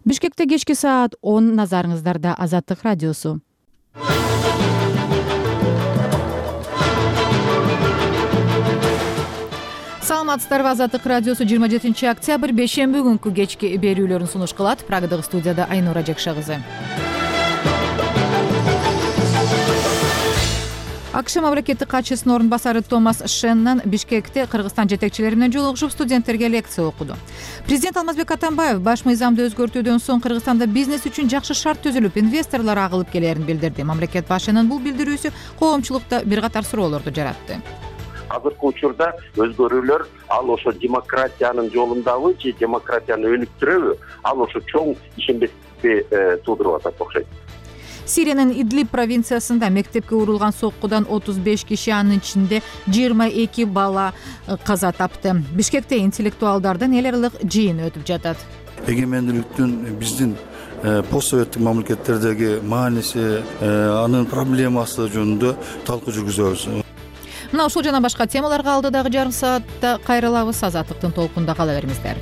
Бишкекте кечки саат 10 назарыңыздарда Азаттык радиосу. Саламатсыздарбы, Азаттык радиосу 27 октябрь бейшемби күнкү кечки берүүлөрүн сунуш кылат. Прагадагы студияда Айнура Жекша кызы. АКШ мамлекеттик катчысынын орун басары Томас Шеннон Бишкекте Кыргызстан жетекчилери менен жолугушуп студенттерге лекция окуду. Президент Алмазбек Атамбаев баш мыйзамды өзгөртүүдөн соң Кыргызстанда бизнес үчүн жакшы шарт түзүлүп, инвесторлор агылып келерин билдирди. Мамлекет башчынын бул билдирүүсү коомчулукта бир катар суроолорду жаратты. Азыркы учурда өзгөрүүлөр ал ошо демократиянын жолундабы же демократияны өнүктүрөбү, ал ошо чоң ишенбестикти туудуруп атат окшойт. Сириянын Идлиб провинциясында мектепке урулган соккудан 35 киши, анын ичинде 22 бала каза тапты. Бишкекте интеллектуалдардын эл аралык жыйыны өтүп жатат. Эгемендүүлүктүн биздин постсоветтик мамлекеттердеги мааниси, анын проблемасы жөнүндө талкуу жүргүзөбүз. Мына ушул жана башка темаларга алдыдагы жарым саатта кайрылабыз. Азаттыктын толкунда кала бериңиздер.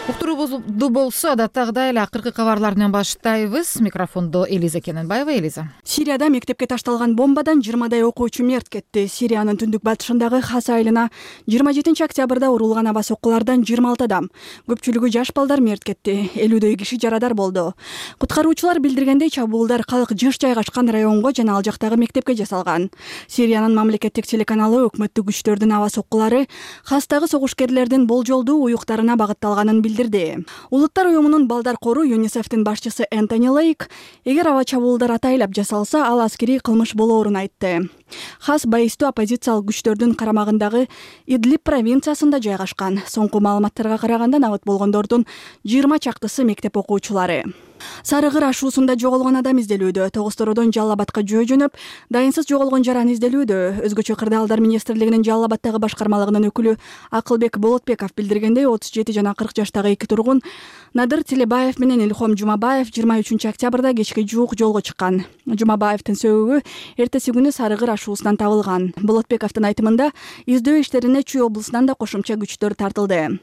Уктуруубузду болсо адаттагыдай эле акыркы кабарлар менен баштайбыз. Микрофондо Элиза Кененбаева. Элиза. Сирияда мектепке ташталган бомбадан 20дай окуучу мерт кетти. Сириянын түндүк батышындагы Хас айылына 27 октябрда урулган аба соккулардан 26 адам, көпчүлүгү жаш балдар мерт кетти. 50дөй киши жарадар болду. Куткаруучулар билдиргендей, чабуулдар калк жыш жайгашкан районго жана ал жактагы мектепке жасалган. Сириянын мамлекеттик телеканалы өкмөттүк күчтөрдүн аба соккулары Хастагы согушкерлердин болжолдуу уюктарына багытталганын билдирди. Улуттар уюмунун балдар кору ЮНИСЕФтин башчысы Энтони Лейк, эгер аба чабуулдар атайлап жасалса, ал аскерий кылмыш болоорун айтты. Хас байыстуу оппозициялык күчтөрдүн карамагындагы Идлиб провинциясында жайгашкан. Соңку маалыматтарга караганда набыт болгондордун 20 чактысы мектеп окуучулары. Сарыгыр ашуусунда жоголгон адам изделүүдө. Тогостородон Жалал Абадка жөө жөнөп, дайынсыз жоголгон жараны изделүүдө. Өзгөчө кырдаалдар министрлигинин Жалал Абадтагы башкармалыгынын өкүлү Акылбек Болотбеков билдиргендей, 37 жана 40 жаштагы эки тургун Надыр Тилебаев менен Илхом Жумабаев 23 октябрда кечке жуук жолго чыккан. Жумабаевдин сөөгү эртеси күнү Сарыгыр ашуусунан табылган. Болотбековдун айтымында, издөө иштерине Чүй облусунан да кошумча күчтөр тартылды.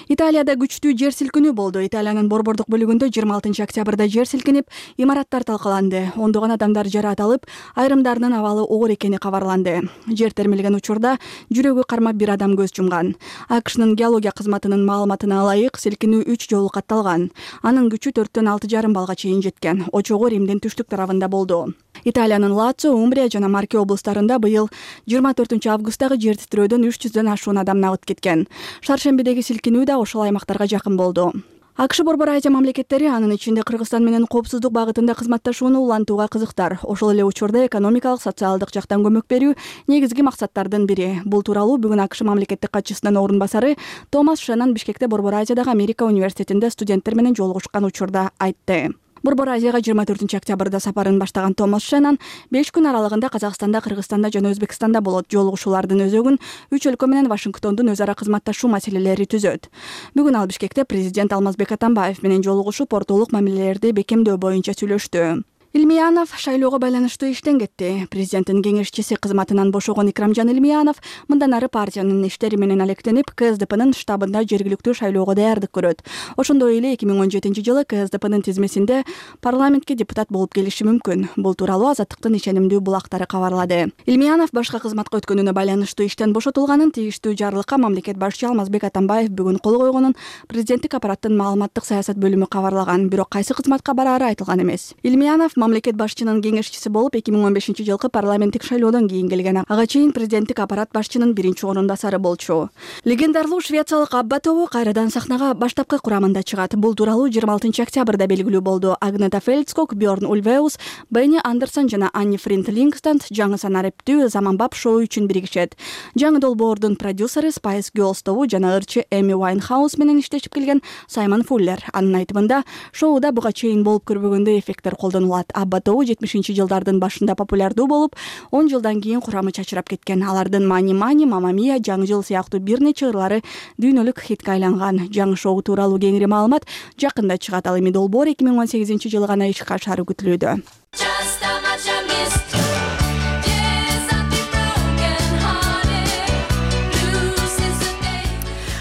Италияда күчтүү жер силкинүү болду. Италиянын борбордук бөлүгүндө 26 октябрда жер силкинип, имараттар талкаланды. Ондогон адамдар жараат алып, айрымдарынын абалы оор экени кабарланды. Жер термелген учурда жүрөгү кармап бир адам көз жумган. АКШнын геология кызматынын маалыматына ылайык, силкинүү 3 жолу катталган. Анын күчү 4-төн 6,5 балга чейин жеткен. Очогу Римдин түштүк тарабында болду. Италиянын Лацио, Умбрия жана Марке облустарында быйыл 24 августтагы жер титрөөдөн 300дөн ашуун адам набыт кеткен. Шаршембидеги силкинүү да ошол аймактарга жакын болду. АКШ Борбор Азия мамлекеттери, анын ичинде Кыргызстан менен коопсуздук багытында кызматташууну улантууга кызыктар. Ошол эле учурда экономикалык, социалдык жактан көмөк берүү негизги максаттардын бири. Бул тууралуу бүгүн АКШ мамлекеттик катчысынын орун басары Томас Шеннон Бишкекте Борбор Азиядагы Америка университетинде студенттер менен жолугушкан учурда айтты. Борбор Азияга 24 октябрда сапарын баштаган Томас Шеннон 5 күн аралыгында Казакстанда, Кыргызстанда жана Өзбекстанда болот. Жолугушуулардын өзөгүн 3 өлкө менен Вашингтондун өз ара кызматташуу маселелери түзөт. Бүгүн ал Бишкекте президент Алмазбек Атамбаев менен жолугушуп, ортолук мамилелерди бекемдөө боюнча сүйлөштү. Илмиянов шайлоого байланыштуу иштен кетти. Президенттин кеңешчиси кызматынан бошогон Икрамжан Илмиянов мындан ары партиянын иштери менен алектенип, КСДПнын штабында жергиликтүү шайлоого даярдык көрөт. Ошондой эле 2017 жылы КСДПнын тизмесинде парламентке депутат болуп келиши мүмкүн. Бул тууралуу Азаттыктын ишенимдүү булактары кабарлады. Илмиянов башка кызматка өткөнүнө байланыштуу иштен бошотулганын, тийиштүү жарлыкка мамлекет башчы Алмазбек Атамбаев бүгүн кол койгонун президенттик аппараттын маалыматтык саясат бөлүмү кабарлаган. Бирок кайсы кызматка бараары айтылган эмес. Илмиянов мамлекет башчынын кеңешчиси болуп 2015 жылкы парламенттик шайлоодон кийин келген. Ага чейин президенттик аппарат башчынын биринчи орун басары болчу. Легендарлуу швециялык Абба тобу кайрадан сахнага баштапкы курамында чыгат. Бул тууралуу 26 октябрда белгилүү болду. Агнета Фельдскок, Бьорн Ульвеус, Бенни Андерсон жана Анни Фринд Лингстанд жаңы санариптүү заманбап шоу үчүн биригишет. Жаңы долбоордун продюсери Spice Girls тобу жана ырчы Эми Уайнхаус менен иштешип келген Саймон Фуллер. Анын айтымында, шоуда буга чейин болуп көрбөгөндөй эффекттер колдонулат. Абба 70 жылдардын башында популярдуу болуп, 10 жылдан кийин курамы чачырап кеткен. Алардын Мани Мани, Мама Мия, Жаңы жыл сыяктуу бир нече ырлары дүйнөлүк хитке айланган. Жаңы шоу тууралуу кеңири маалымат жакында чыгат. Ал эми долбоор 2018 жылы гана ишке ашары күтүлүүдө.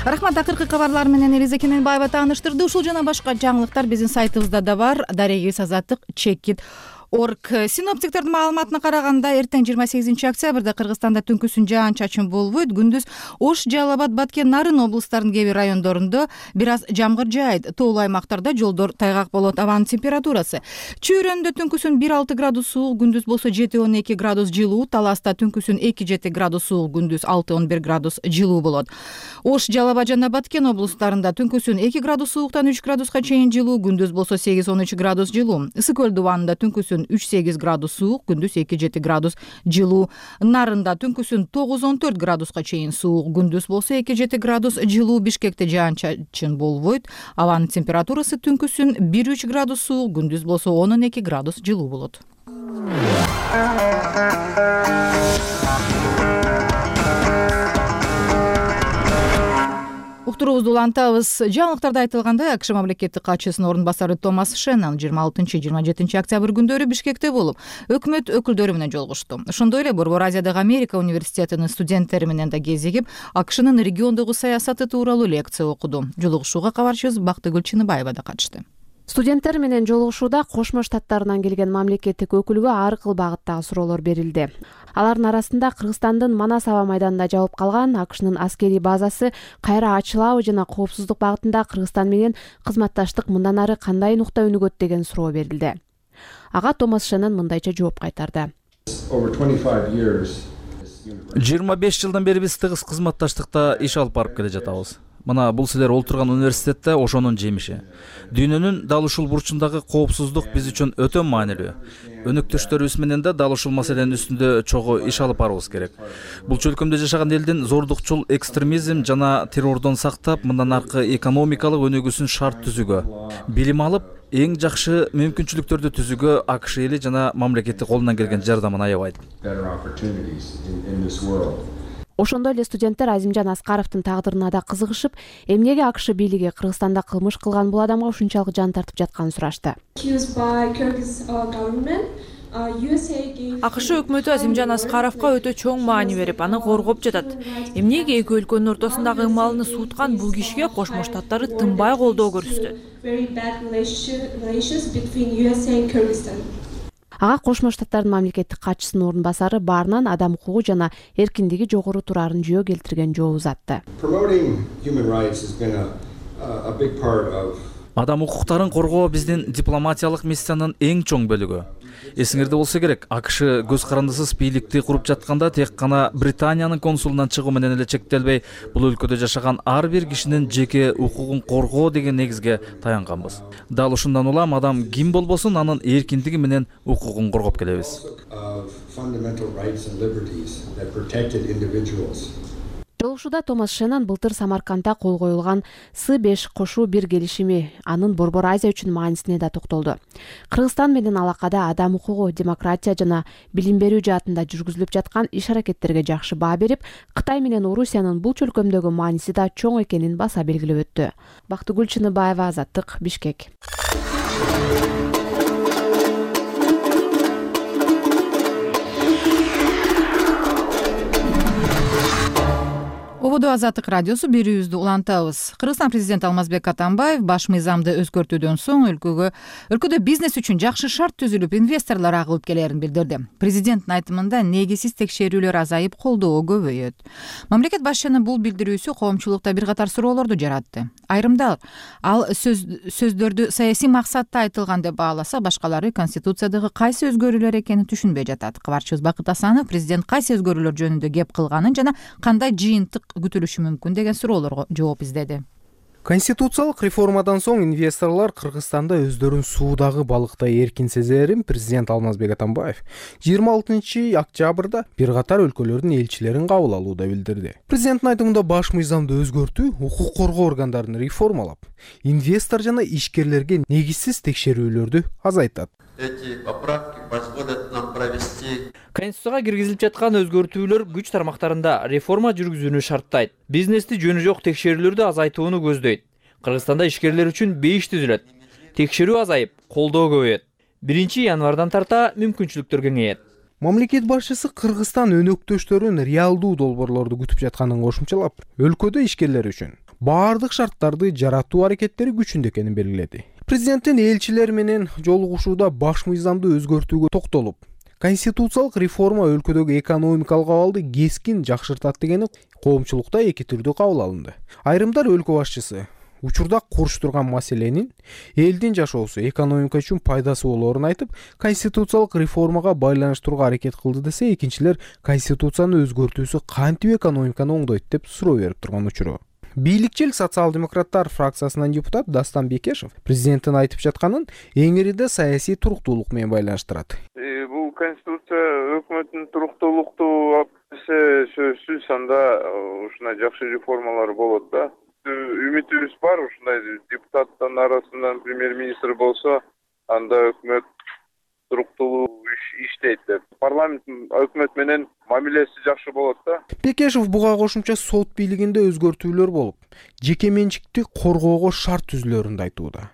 Рахмат. Акыркы кабарлар менен Элиза Кененбаева тааныштырды. Ушул жана башка жаңылыктар биздин сайтыбызда да бар. Дарегибиз Азаттык чекит орг. Синоптиктердин маалыматына караганда эртең 28 октябрда Кыргызстанда түнкүсүн жаан-чачын болбойт. Күндүз Ош, Жалал Абад, Баткен, Нарын облустарынын кээ бир райондорунда бир аз жамгыр жаайт. Тоолуу аймактарда жолдор тайгак болот. Абанын температурасы Чүйрөндө түнкүсүн 1-6 градус суук, күндүз болсо 7-12 градус жылуу. Таласта түнкүсүн 2-7 градус суук, күндүз 6-11 градус жылуу болот. Ош, Жалал Абад жана Баткен облустарында түнкүсүн 2 градус сууктан 3 градуска чейин жылуу, күндүз болсо 8-13 градус жылуу. Ысык көл дубанында түнкүсүн 3-8 градус суук, күндүз 2-7 градус жылуу. Нарында түнкүсүн 9-14 градуска чейин суук, күндүз болсо 2-7 градус жылуу. Бишкекте жаан-чачын болбойт. Абанын температурасы түнкүсүн 1-3 градус суук, күндүз болсо 10-12 градус жылуу болот. Уктуруубузду улантабыз. Жаңылыктарда айтылгандай, АКШ мамлекеттик катчысынын орун басары Томас Шеннон 26-27 октябрь күндөрү Бишкекте болуп, өкмөт өкүлдөрү менен жолугушту. Ошондой эле Борбор Азиядагы Америка университетинин студенттери менен да кезигип, АКШнын региондогу саясаты тууралуу лекция окуду. Жолугушууга кабарчыбыз Бактыгүл Чыныбаева да катышты. Студенттер менен жолугушууда Кошмо Штаттарынан келген мамлекеттик өкүлгө ар кыл багыттагы суроолор берилди. Алардын арасында Кыргызстандын Манас аба майданында жабылып калган АКШнын аскерий базасы кайра ачылабы жана коопсуздук багытында Кыргызстан менен кызматташтык мындан ары кандай нукта өнүгөт деген суроо берилди. Ага Томас Шеннон мындайча жооп кайтарды. 25 жылдан бери биз тыгыз кызматташтыкта иш алып барып келе жатабыз. Мына бул силер олтурган университетте ошонун жемиши. Дүйнөнүн дал ушул бурчундагы коопсуздук биз үчүн өтө маанилүү. Өнөктөштөрүбүз менен да дал ушул маселенин үстүндө чогуу иш алып барабыз керек. Бул чөлкөмдө жашаган элдин зордукчул экстремизм жана террордон сактап, мындан аркы экономикалык өнүгүүсүн шарт түзүүгө, билим алып, эң жакшы мүмкүнчүлүктөрдү түзүүгө АКШ эли жана мамлекети колунан келген жардамын аябайт. Ошондой эле студенттер Азимжан Аскаровдун тагдырына да кызыгышып, эмнеге АКШ бийлиги Кыргызстанда кылмыш кылган бул адамга ушунчалык жан тартып жатканын сурашты. АКШ өкмөтү Азимжан Аскаровго өтө чоң маани берип, аны коргоп жатат. Эмнеге эки өлкөнүн ортосундагы ымалыны сууткан бул кишиге Кошмо Штаттары тынбай колдоо көрсөтөт. Ага Кошмо Штаттардын мамлекеттик катчысынын орун басары баарынан адам укугу жана эркиндиги жогору турарын жөө келтирген жоо узатты. Адам укуктарын коргоо биздин дипломатиялык миссиянын эң чоң бөлүгү. Эсиңерде болсо керек, АКШ көз карандысыз бийликти куруп жатканда тек гана Британиянын консулунан чыгуу менен эле чектелбей, бул өлкөдө жашаган ар бир кишинин жеке укугун коргоо деген негизге таянганбыз. Дал ушундан улам адам ким болбосун анын эркиндиги менен укугун коргоп келебиз. Жолугушууда Томас Шеннон былтыр Самаркандда кол коюлган С5+1 келишими, анын Борбор Азия үчүн маанисине да токтолду. Кыргызстан менен алакада адам укугу, демократия жана билим берүү жаатында жүргүзүлүп жаткан иш-аракеттерге жакшы баа берип, Кытай менен Орусиянын бул чөлкөмдөгү мааниси да чоң экенин баса белгилеп өттү. Бактыгүл Чыныбаева, Азаттык, Бишкек. Ободо Азаттык радиосу берүүбүздү улантабыз. Кыргызстан президенти Алмазбек Атамбаев баш мыйзамды өзгөртүүдөн соң өлкөдө бизнес үчүн жакшы шарт түзүлүп, инвесторлор агылып келерин билдирди. Президенттин айтымында негизсиз текшерүүлөр азайып, колдоо көбөйөт. Мамлекет башчынын бул билдирүүсү коомчулукта бир катар суроолорду жаратты. Айрымдар ал сөздөрдү саясий максатта айтылган деп бааласа, башкалары Конституциядагы кайсы өзгөрүүлөр экенин түшүнбөй жатат. Кабарчыбыз Бакыт Асанов президент кайсы өзгөрүүлөр жөнүндө кеп кылганын жана кандай жыйынтык күтүлүшү мүмкүн деген суроолорго жооп издеди. Конституциялык реформадан соң инвесторлор Кыргызстанда өздөрүн суудагы балыктай эркин сезерин президент Алмазбек Атамбаев 26 октябрда бир катар өлкөлөрдүн элчилерин кабыл алууда билдирди. Президенттин айтымында баш мыйзамды өзгөртүү укук коргоо органдарын реформалап, инвестор жана ишкерлерге негизсиз текшерүүлөрдү азайтат. Эти поправки позволят нам провести Конституцияга киргизилип жаткан өзгөртүүлөр күч тармактарында реформа жүргүзүүнү шарттайт. Бизнести жөнү жок текшерүүлөрдү азайтууну көздөйт. Кыргызстанда ишкерлер үчүн бейиш түзүлөт. Текшерүү азайып, колдоо көбөйөт. 1 январдан тарта мүмкүнчүлүктөр кеңейет. Мамлекет башчысы Кыргызстан өнөктөштөрүн реалдуу долбоорлорду күтүп жатканын кошумчалап, өлкөдө ишкерлер үчүн баардык шарттарды жаратуу аракеттери күчүндө экенин белгиледи. Президенттин элчилер менен жолугушууда баш мыйзамды өзгөртүүгө токтолуп, конституциялык реформа өлкөдөгү экономикалык абалды кескин жакшыртат дегени коомчулукта эки түрдүү кабыл алынды. Айрымдар өлкө башчысы учурда куруштурган маселенин элдин жашоосу, экономика үчүн пайдасы болоорун айтып, конституциялык реформага байланыштырууга аракет кылды десе, экинчилер конституцияны өзгөртүүсү кантип экономиканы оңдойт деп суроо берип турган учуру. Бийликчил социал-демократтар фракциясынын депутат Дастан Бекешев президенттин айтып жатканын эңиринде саясий туруктуулук менен байланыштырат. Бул конституция өкмөттүн туруктуулукту алып келсе, сөзсүз анда ушундай жакшы реформалар болот да. Үмүтүбүз бар, ушундай депутаттардын арасынан премьер-министр болсо, анда өкмөт туруктуулуу иштейт деп. Парламент өкмөт менен мамилеси жакшы болот да. Бекешев буга кошумча сот бийлигинде өзгөртүүлөр болуп, жеке менчикти коргоого шарт түзүлөрүн да айтууда.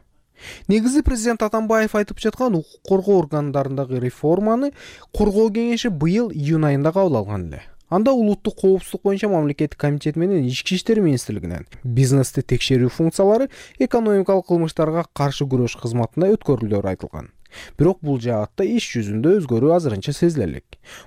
Негизи президент Атамбаев айтып жаткан укук коргоо органдарындагы реформаны коргоо кеңеши быйыл июнь айында кабыл алган эле. Анда улуттук коопсуздук боюнча мамлекеттик комитет менен Ички иштер министрлигинен бизнести текшерүү функциялары экономикалык кылмыштарга каршы күрөш кызматына өткөрүлөөрү айтылган. Бирок бул жаатта иш жүзүндө өзгөрүү азырынча сезиле элек.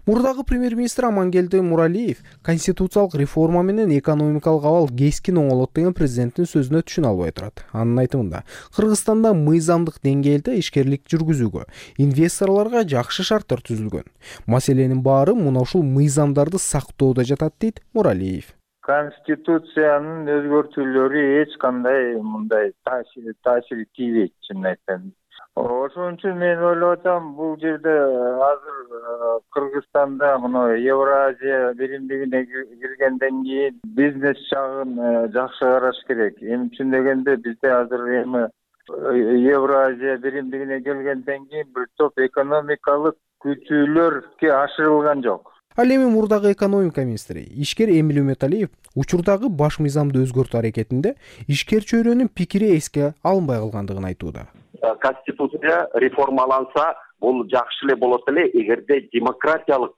Мурдагы премьер-министр Амангелди Муралиев конституциялык реформа менен экономикалык абал кескин оңолот деген президенттин сөзүнө түшүнө албай турат. Анын айтымында, Кыргызстанда мыйзамдык деңгээлде ишкерлик жүргүзүүгө, инвесторлорго жакшы шарттар түзүлгөн. Маселенин баары мына ушул мыйзамдарды сактоодо жатат дейт Муралиев. Конституциянын өзгөртүүлөрү эч кандай мындай таасир тийбейт, чынын айтсам. Ошон үчүн мен ойлоп атам, бул жерде азыр Кыргызстанда мына Евразия биримдигине киргенден кийин бизнес жагын жакшы караш керек. Эми үчүн дегенде бизде азыр эми Евразия биримдигине келгенден кийин бир топ экономикалык күтүүлөргө ашырылган жок. Ал эми мурдагы экономика министри ишкер Эмиль Үмөталиев учурдагы баш мыйзамды өзгөртүү аракетинде ишкер чөйрөнүн пикири эске алынбай калгандыгын айтууда. Конституция реформаланса, бул жакшы эле болот эле, эгерде демократиялык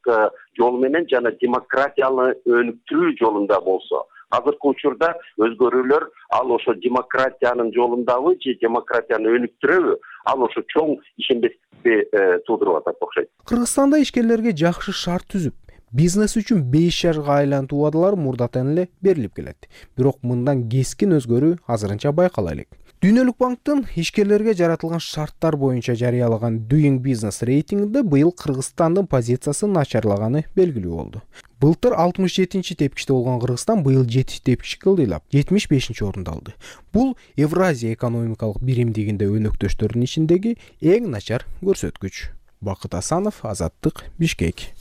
жол менен жана демократияны өнүктүрүү жолунда болсо. Азыркы учурда өзгөрүүлөр ал ошо демократиянын жолундабы же демократияны өнүктүрөбү, ал ошо чоң ишенбестикти туудуруп атат окшойт. Кыргызстанда ишкерлерге жакшы шарт түзүп, бизнес үчүн 5 жашка айлантуу убадалар мурдатан эле берилип келет. Бирок мындан кескин өзгөрүү азырынча байкала элек. Дүйнөлүк банктын ишкерлерге жаратылган шарттар боюнча жарыялаган Doing Business рейтингинде быйыл Кыргызстандын позициясы начарлаганы белгилүү болду. Былтыр 67-чи тепкичте болгон Кыргызстан быйыл 7 тепкичке ылдыйлап 75-чи орунду алды. Бул Евразия экономикалык биримдигинде өнөктөштөрдүн ичиндеги эң начар көрсөткүч. Бакыт Асанов, Азаттык, Бишкек.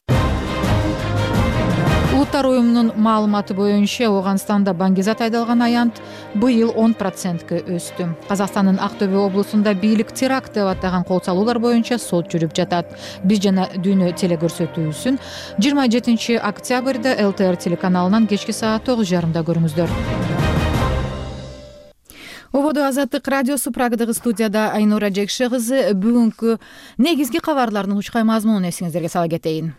Улуттар уюмунун маалыматы боюнча Ооганстанда баңгизат айдалган аянт быйыл 10%га өстү. Казакстандын Актөбө облусунда бийлик теракт деп атаган кол салуулар боюнча сот жүрүп жатат. Биз жана дүйнө телекөрсөтүүсүн 27 октябрда ЛТР телеканалынан кечки саат 9:30 көрүңүздөр. Ободо Азаттык радиосу, Прагадагы студияда Айнура Жекше кызы. Бүгүнкү негизги кабарлардын учкай мазмунун эсиңиздерге сала кетейин.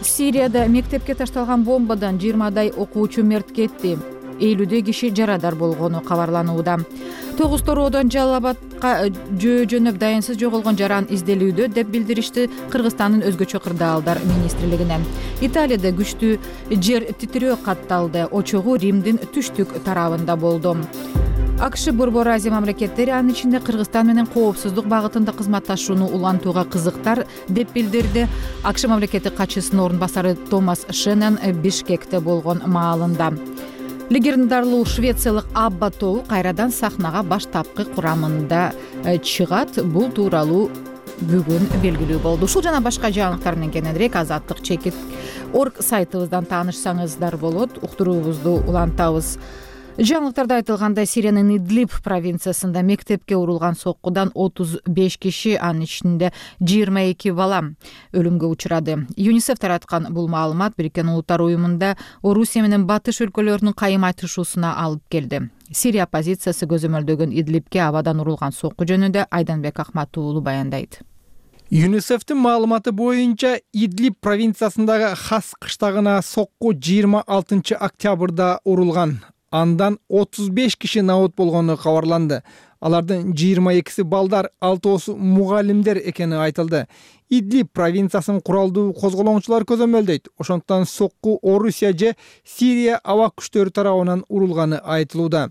Сирияда мектепке ташталган бомбадан 20дай окуучу мерт кетти. 50дөй киши жарадар болгону кабарланууда. Тогуз тороодон Жалал-Абадка жөнөп дайынсыз жоголгон жаран изделүүдө деп билдиришти Кыргызстандын өзгөчө кырдаалдар министрлигинен. Италияда күчтүү жер титирөө катталды. Очогу Римдин түштүк тарабында болду. АКШ Борбор Азия мамлекеттери, анын ичинде Кыргызстан менен коопсуздук багытында кызматташууну улантууга кызыктар деп билдирди АКШ мамлекеттик катчысынын орун басары Томас Шеннон Бишкекте болгон маалында. Легендарлуу швециялык Абба тобу кайрадан сахнага баштапкы курамында чыгат. Бул тууралуу бүгүн белгилүү болду. Ушул жана башка жаңылыктар менен кененирээк azatlyk.org сайтыбыздан таанышсаңыздар болот. Уктуруубузду улантабыз. Жаңылыктарда айтылгандай, Сириянын Идлиб провинциясында мектепке урулган соккудан 35 киши, анын ичинде 22 бала өлүмгө учурады. ЮНИСЕФ тараткан бул маалымат Бириккен Улуттар уюмунда Орусия менен батыш өлкөлөрүнүн кайым айтышуусуна алып келди. Сирия оппозициясы көзөмөлдөгөн Идлибке абадан урулган сокку жөнүндө Айданбек Акмат уулу баяндайт. ЮНИСЕФтин маалыматы боюнча Идлиб провинциясындагы Хас кыштагына сокку 26 октябрда урулган. Андан 35 киши набут болгону кабарланды. Алардын 22си балдар, 6 мугалимдер экени айтылды. Идлиб провинциясын куралдуу козголоңчулар көзөмөлдөйт. Ошондуктан сокку Орусия же Сирия аба күчтөрү тарабынан урулганы айтылууда.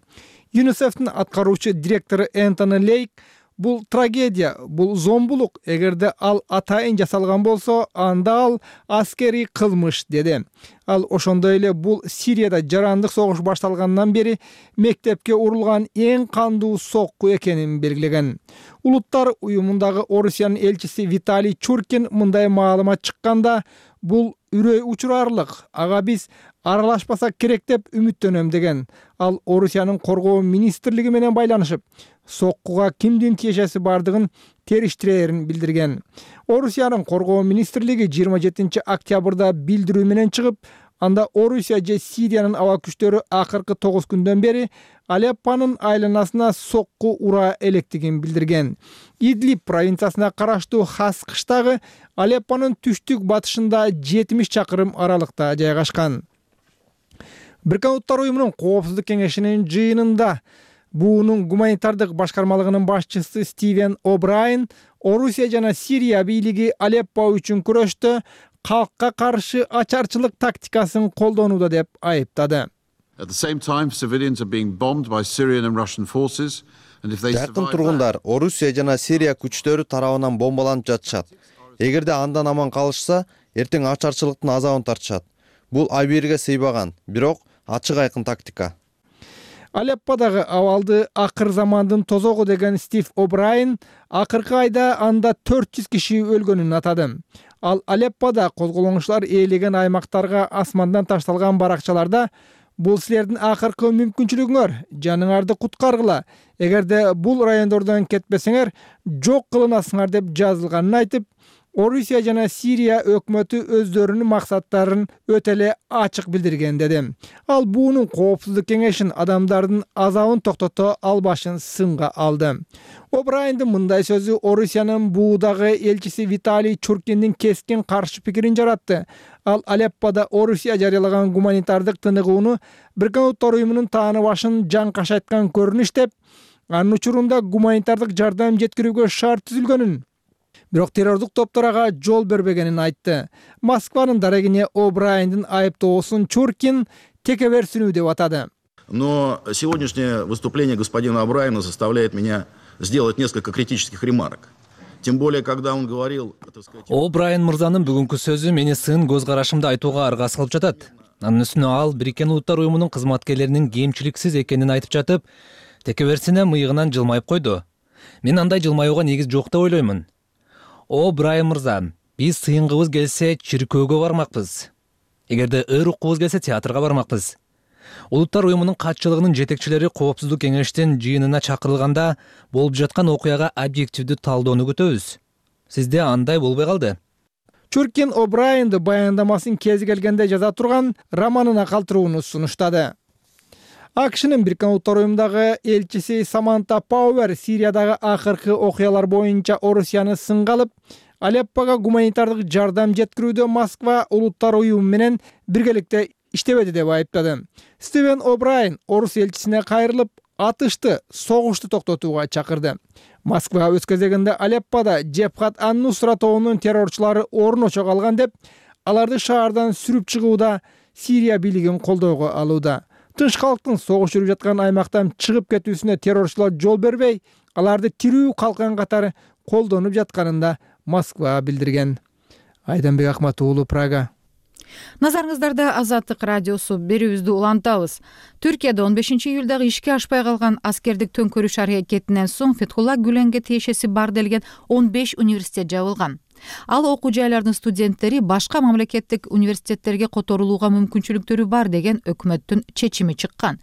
ЮНИСЕФтин аткаруучу директору Энтони Лейк бул трагедия, бул зомбулук. Эгерде ал атайын жасалган болсо, анда ал аскерий кылмыш деди. Ал ошондой эле бул Сирияда жарандык согуш башталгандан бери мектепке урулган эң кандуу сокку экенин белгилеген. Улуттар уюмундагы Орусиянын элчиси Виталий Чуркин мындай маалымат чыкканда, бул үрөй учурарлык. Ага биз аралашпасак керек деп үмүттөнөм деген. Ал Орусиянын коргоо министрлиги менен байланышып, соккуга кимдин тиешеси бардыгын териштирээрин билдирген. Орусиянын коргоо министрлиги 27 октябрда билдирүү менен чыгып, анда Орусия же Сириянын аба күчтөрү акыркы 9 күндөн бери Алеппонун айланасына сокку ура электигин билдирген. Идлиб провинциясына караштуу Хас кыштагы Алеппонун түштүк батышында 70 чакырым аралыкта жайгашкан. Бириккен Улуттар уюмунун коопсуздук кеңешинин жыйынында буунун гуманитардык башкармалыгынын башчысы Стивен О'Брайен Орусия жана Сирия бийлиги Алеппо үчүн күрөштө калкка каршы ачарчылык тактикасын колдонууда деп айыптады. Жакын тургундар Орусия жана Сирия күчтөрү тарабынан бомбаланып жатышат. Эгерде андан аман калышса, эртең ачарчылыктын азабын тартышат. Бул абийирге сыйбаган, бирок ачык айкын тактика. Алепподагы абалды акыр замандын тозогу деген Стив О'Брайен акыркы айда анда 400 киши өлгөнүн атады. Ал Алеппода козголоңчулар ээлеген аймактарга асмандан ташталган баракчаларда бул силердин акыркы мүмкүнчүлүгүңөр, жаныңарды куткаргыла. Эгерде бул райондордон кетпесеңер, жок кылынасыңар деп жазылганын айтып, Орусия жана Сирия өкмөтү өздөрүнүн максаттарын өтө эле ачык билдирген деди. Ал буунун коопсуздук кеңешин адамдардын азабын токтото албашын сынга алды. О'Брайендин мындай сөзү Орусиянын буудагы элчиси Виталий Чуркиндин кескин каршы пикирин жаратты. Ал Алеппода Орусия жарыялаган гуманитардык тыныгууну Бириккен Улуттар уюмунун тааны башын жаңкашайткан көрүнүш деп, анын учурунда гуманитардык жардам жеткирүүгө шарт түзүлгөнүн, бирок террордук топторго жол бербегенин айтты. Москванын дарегине О'Брайендин айыптоосун Чуркин текеберсинүү деп атады. Но сегодняшнее выступление господина О'Брайена заставляет меня сделать несколько критических ремарок. Тем более, когда он говорил... О'Брайен мырзанын бүгүнкү сөзү мени сын көз карашымды айтууга арга салып жатат. Анын үстүнө ал Бириккен Улуттар уюмунун кызматкерлеринин кемчиликсиз экенин айтып жатып, текеберсине мыйыгынан жылмайып койду. Мен андай жылмаюуга негиз жок деп ойлоймун. О'Брайен мырза, биз сыйынгыбыз келсе чиркөөгө бармакпыз. Эгерде ыр уккубуз келсе театрга бармакпыз. Улуттар уюмунун катчылыгынын жетекчилери коопсуздук кеңештин жыйынына чакырылганда болуп жаткан окуяга объективдүү талдоону күтөбүз. Сизде андай болбой калды. Чуркин О'Брайенди баяндамасын кези келгенде жаза турган романына калтырууну сунуштады. АКШнын Бириккен Улуттар уюмундагы элчиси Саманта Пауэр Сириядагы акыркы окуялар боюнча Орусияны сынга алып, Алеппого гуманитардык жардам жеткирүүдө Москва Улуттар уюму менен биргеликте иштебеди деп айыптады. Стивен О'Брайен орус элчисине кайрылып, атышты, согушту токтотууга чакырды. Москва өз кезегинде Алеппода Джебхат ан-Нусра тобунун террорчулары орночо калган деп, аларды шаардан сүрүп чыгууда Сирия бийлигин колдоого алууда. Тынч калктын согуш жүрүп жаткан аймактан чыгып кетүүсүнө террорчулар жол бербей, аларды тирүү калкан катары колдонуп жатканында Москва билдирген. Айданбек Акмат уулу, Прага. Назарыңыздарда Азаттык радиосу, берүүбүздү улантабыз. Түркияда 15-июлдагы ишке ашпай калган аскердик төңкөрүш аракетинен соң Фетхулла Гүленге тиешеси бар делген 15 университет жабылган. Ал окуу жайлардын студенттери башка мамлекеттик университеттерге которулууга мүмкүнчүлүктөрү бар деген өкмөттүн чечими чыккан.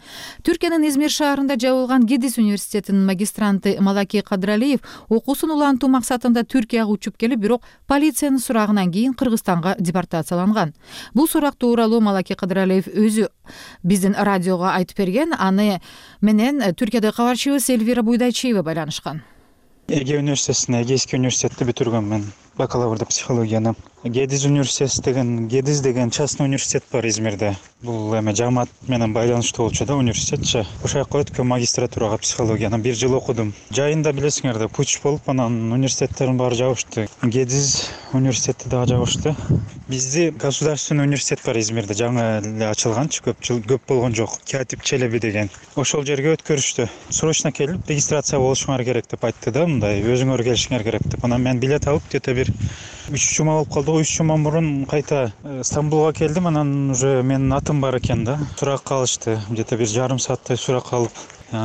Түркиянын Измир шаарында жабылган Гидис университетинин магистранты Малаки Кадралиев окуусун улантуу максатында Түркияга учуп келип, бирок полициянын сурагынан кийин Кыргызстанга депортацияланган. Бул сурак тууралуу Малаки Кадралиев өзү биздин радиого айтып берген. Аны менен Түркиядагы кабарчыбыз Эльвира Буйдайчиева байланышкан. Эге университетине, Эгейский университетти бүтүргөм мен. бакалаврда психологияны. Гедиз деген частный университет бар Измирде. Бул эме жамаат менен байланыштуу болчу да университетчи. Ошол жака өткөн магистратурага психологияны 1 жыл окудум. Жайында билесиңер да путч болуп анан университеттердин баары жабышты. Гедиз университети дагы жабышты. Бизде государственный университет бар Измирде, жаңы эле ачылганчы, көп болгон жок. Катип Челеби деген. Ошол жерге өткөрүштү. Срочно келип регистрация болушуңар керек деп айтты да, мындай өзүңөр келишиңер керек деп. Анан мен билет алып где-то бир 3 жума болуп калды. 3 жума мурун кайта Стамбулга келдим, анан уже менин атым бар экен да. Сурак калышты. Где-то бир жарым сааттай сурак калып,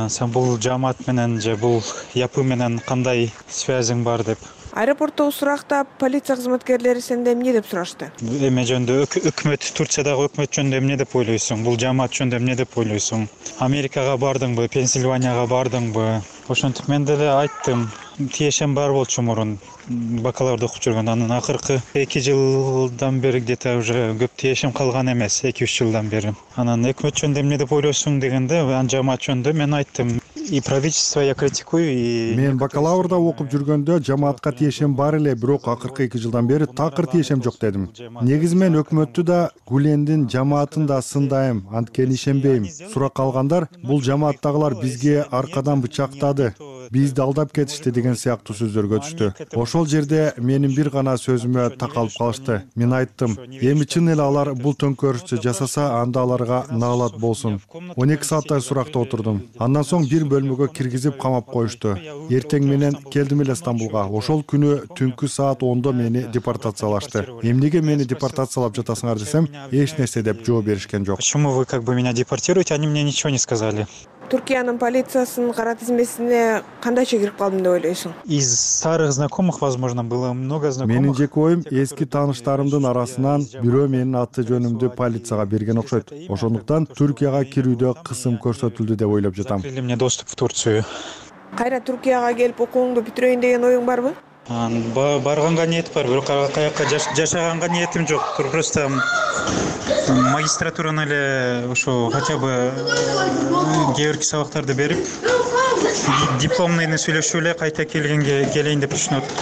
сен бул жамаат менен же бул япы менен кандай связиң бар деп. Аэропорттогу суракта полиция кызматкерлери сенде эмне деп сурашты? Эме жөнүндө өкмөт, Турциядагы өкмөт жөнүндө эмне деп ойлойсуң? Бул жамаат жөнүндө эмне деп ойлойсуң? Америкага бардыңбы, Пенсильванияга бардыңбы? Ошентип мен деле айттым. Тиешем бар болчу мурун бакалаврда окуп жүргөндө, анан акыркы 2 жылдан бери где-то уже көп тиешем калган эмес, 2-3 жылдан бери. Анан өкмөт жөнүндө эмне деп ойлойсуң дегенде, анан жамаат жөнүндө мен айттым. И правительство я критикую, и мен бакалаврда окуп жүргөндө жамаатка тиешем бар эле, бирок акыркы 2 жылдан бери такыр тиешем жок дедим. Негизи мен өкмөттү да, Гүлендин жамаатын да сындайм, анткени ишенбейм. Сурак алгандар бул жамааттагылар бизге аркадан бычактады, бизди алдап кетишти деген сыяктуу сөздөргө түштү. Ошол жерде менин бир гана сөзүмө такалып калышты. Мен айттым, эми чын эле алар бул төңкөрүштү жасаса, анда аларга наалат болсун. 12 сааттай суракта отурдум. Андан соң бир бөлмөгө киргизип камап коюшту. Эртең менен келдим эле Стамбулга. Ошол күнү түнкү саат 10до мени депортациялашты. Эмнеге мени депортациялап жатасыңар десем, эч нерсе деп жооп беришкен жок. Почему вы как бы меня депортируете? Они мне ничего не сказали. Туркиянын полициясынын кара тизмесине кандайча кирип калдым деп ойлойсуң? Из старых знакомых, возможно, было много знакомых. Менин жеке оюм, эски тааныштарымдын арасынан бирөө менин аты жөнүмдү полицияга берген окшойт. Ошондуктан Түркияга кирүүдө кысым көрсөтүлдү деп ойлоп жатам. Закрыли мне доступ в Турцию. Кайра Туркияга келип окууңду бүтүрөйүн деген оюң барбы? Барганга ниет бар, бирок каяка жашаганга ниетим жок. Просто магистратураны эле ошо хотя бы кээ бирки сабактарды берип, дипломныйны сүйлөшүп эле кайта келейин деп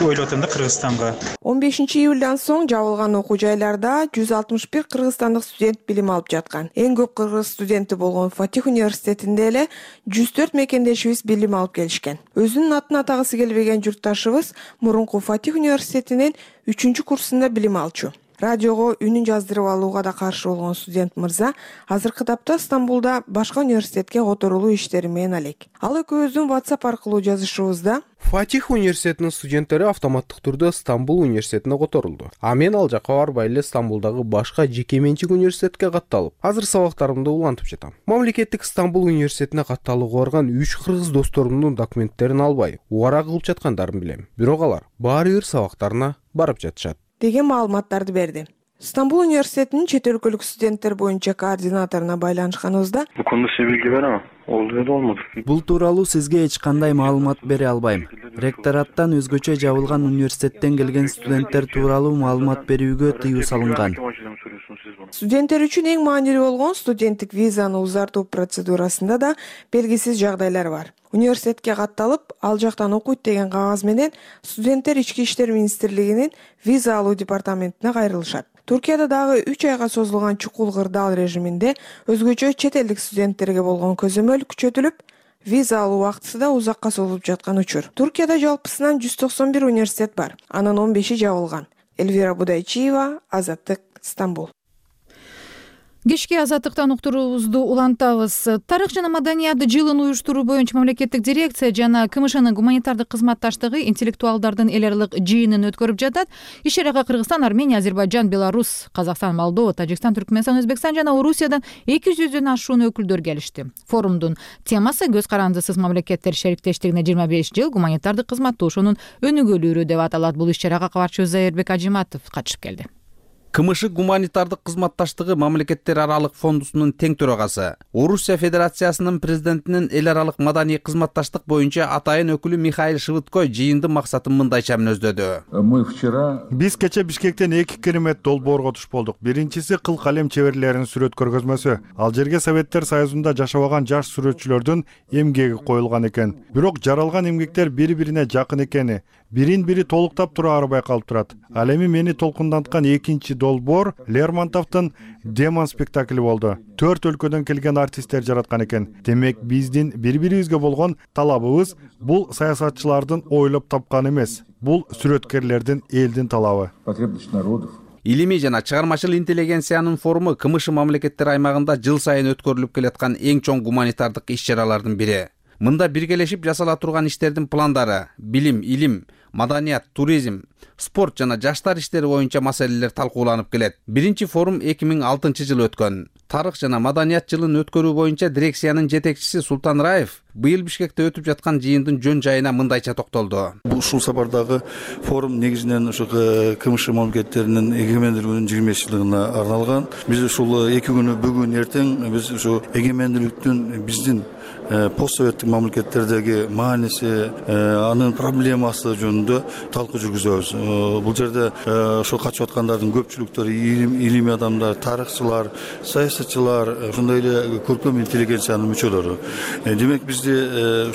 ойлоп атам да Кыргызстанга. 15 июлдан соң жабылган окуу жайларда 161 кыргызстандык студент билим алып жаткан. Эң көп кыргыз студенти болгон Фатих университетинде эле 104 мекендешибиз билим алып келишкен. Өзүнүн атын атагысы келбеген журтташыбыз мурунку Фатих университетинин 3-курсунда билим алчу. Радиого үнүн жаздырып алууга да каршы болгон студент мырза азыркы тапта Стамбулда башка университетке которулуу иштери менен алек. Ал экөөбүздүн WhatsApp аркылуу жазышыбызда Фатих университетинин студенттери автоматтык түрдө Стамбул университетине которулду. А мен ал жака барбай эле Стамбулдагы башка жеке менчик университетке катталып, азыр сабактарымды улантып жатам. Мамлекеттик Стамбул университетине катталууга барган 3 кыргыз досторумдун документтерин албай, убара кылып жаткандарын билем. Бирок алар баары бир сабактарына барып жатышат деген маалыматтарды берди. Стамбул университетинин чет өлкөлүк студенттер боюнча координаторуна байланышканыбызда бул кондо сиз билги берем. Болмоду. Бул тууралуу сизге эч кандай маалымат бере албайм. Ректораттан өзгөчө жабылган университеттен келген студенттер тууралуу маалымат берүүгө тыюу салынган. Студенттер үчүн эң маанилүү болгон студенттик визаны узартуу процедурасында да белгисиз жагдайлар бар. Университетке катталып, ал жактан окуйт деген кагаз менен студенттер Ички иштер министрлигинин виза алуу департаментине кайрылышат. Туркияда дагы 3 айга созулган чукул кырдаал режиминде өзгөчө чет элдик студенттерге болгон көзөмөл күчөтүлүп, виза алуу убактысы да узакка созулуп жаткан учур. Туркияда жалпысынан 191 университет бар, анын 15-и жабылган. Элвира Будайчиева, Азаттык, Стамбул. Кечки азаттыктан уктуруубузду улантабыз. Тарых жана маданият жылын уюштуруу боюнча мамлекеттик дирекция жана КМШнын гуманитардык кызматташтыгы интеллектуалдардын эл аралык жыйынын өткөрүп жатат. Иш чарага Кыргызстан, Армения, Азербайджан, Беларусь, Казакстан, Молдова, Тажикстан, Түркмөнстан, Өзбекстан жана Орусиядан 200дөн ашуун өкүлдөр келишти. Форумдун темасы көз карандысыз мамлекеттер шериктештигине 25 жыл гуманитардык кызматташуунун өнүгүүлүрү деп аталат. Бул иш чарага кабарчыбыз Зайырбек Ажиматов катышып келди. КМШ гуманитардык кызматташтыгы мамлекеттер аралык фондусунун тең төрагасы, Орусия Федерациясынын президентинин эл аралык маданий кызматташтык боюнча атайын өкүлү Михаил Швыдко жыйындын максатын мындайча мүнөздөдү. Биз кече Бишкектен 2 керемет долбоорго туш болдук. Биринчиси кыл калем чеберлеринин сүрөт көргөзмөсү. Ал жерге Советтер Союзунда жашабаган жаш сүрөтчүлөрдүн эмгеги коюлган экен. Бирок жаралган эмгектер бири-бирине жакын экени, бирин бири толуктап тура арбай калып турат. Ал эми мени толкунданткан экинчи долбоор Лермонтовдун Демон спектакли болду. 4 өлкөдөн келген артисттер жараткан экен. Демек биздин бири-бирибизге болгон талабыбыз бул саясатчылардын ойлоп тапканы эмес. Бул сүрөткерлердин, элдин талабы. Потребность народов. Илимий жана чыгармачыл интеллигенциянын форуму КМШ мамлекеттер аймагында жыл сайын өткөрүлүп келаткан эң чоң гуманитардык иш-чаралардын бири. Мында биргелешип жасала турган иштердин пландары, билим, илим, маданият, туризм, спорт жана жаштар иштери боюнча маселелер талкууланып келет. Биринчи форум 2006 өткөн. Тарых жана маданият жылын өткөрүү боюнча дирекциянын жетекчиси Султан Раев быйыл Бишкекте өтүп жаткан жыйындын жөн жайына мындайча токтолду. Ушул сапардагы форум негизинен ушу КМШ мамлекеттеринин эгемендүүлүгүнүн 25-жылдыгына арналган. Биз ушул 2 күнү бүгүн эртең биз ушу эгемендүүлүктүн биздин постсоветтик мамлекеттердеги мааниси, анын проблемасы жөнүндө талкуу жүргүзөбүз. Бул жерде ошол качып аткандардын көпчүлүктөрү илимий адамдар, тарыхчылар, саясатчылар, ошондой эле көркөм интеллигенциянын мүчөлөрү. Демек бизди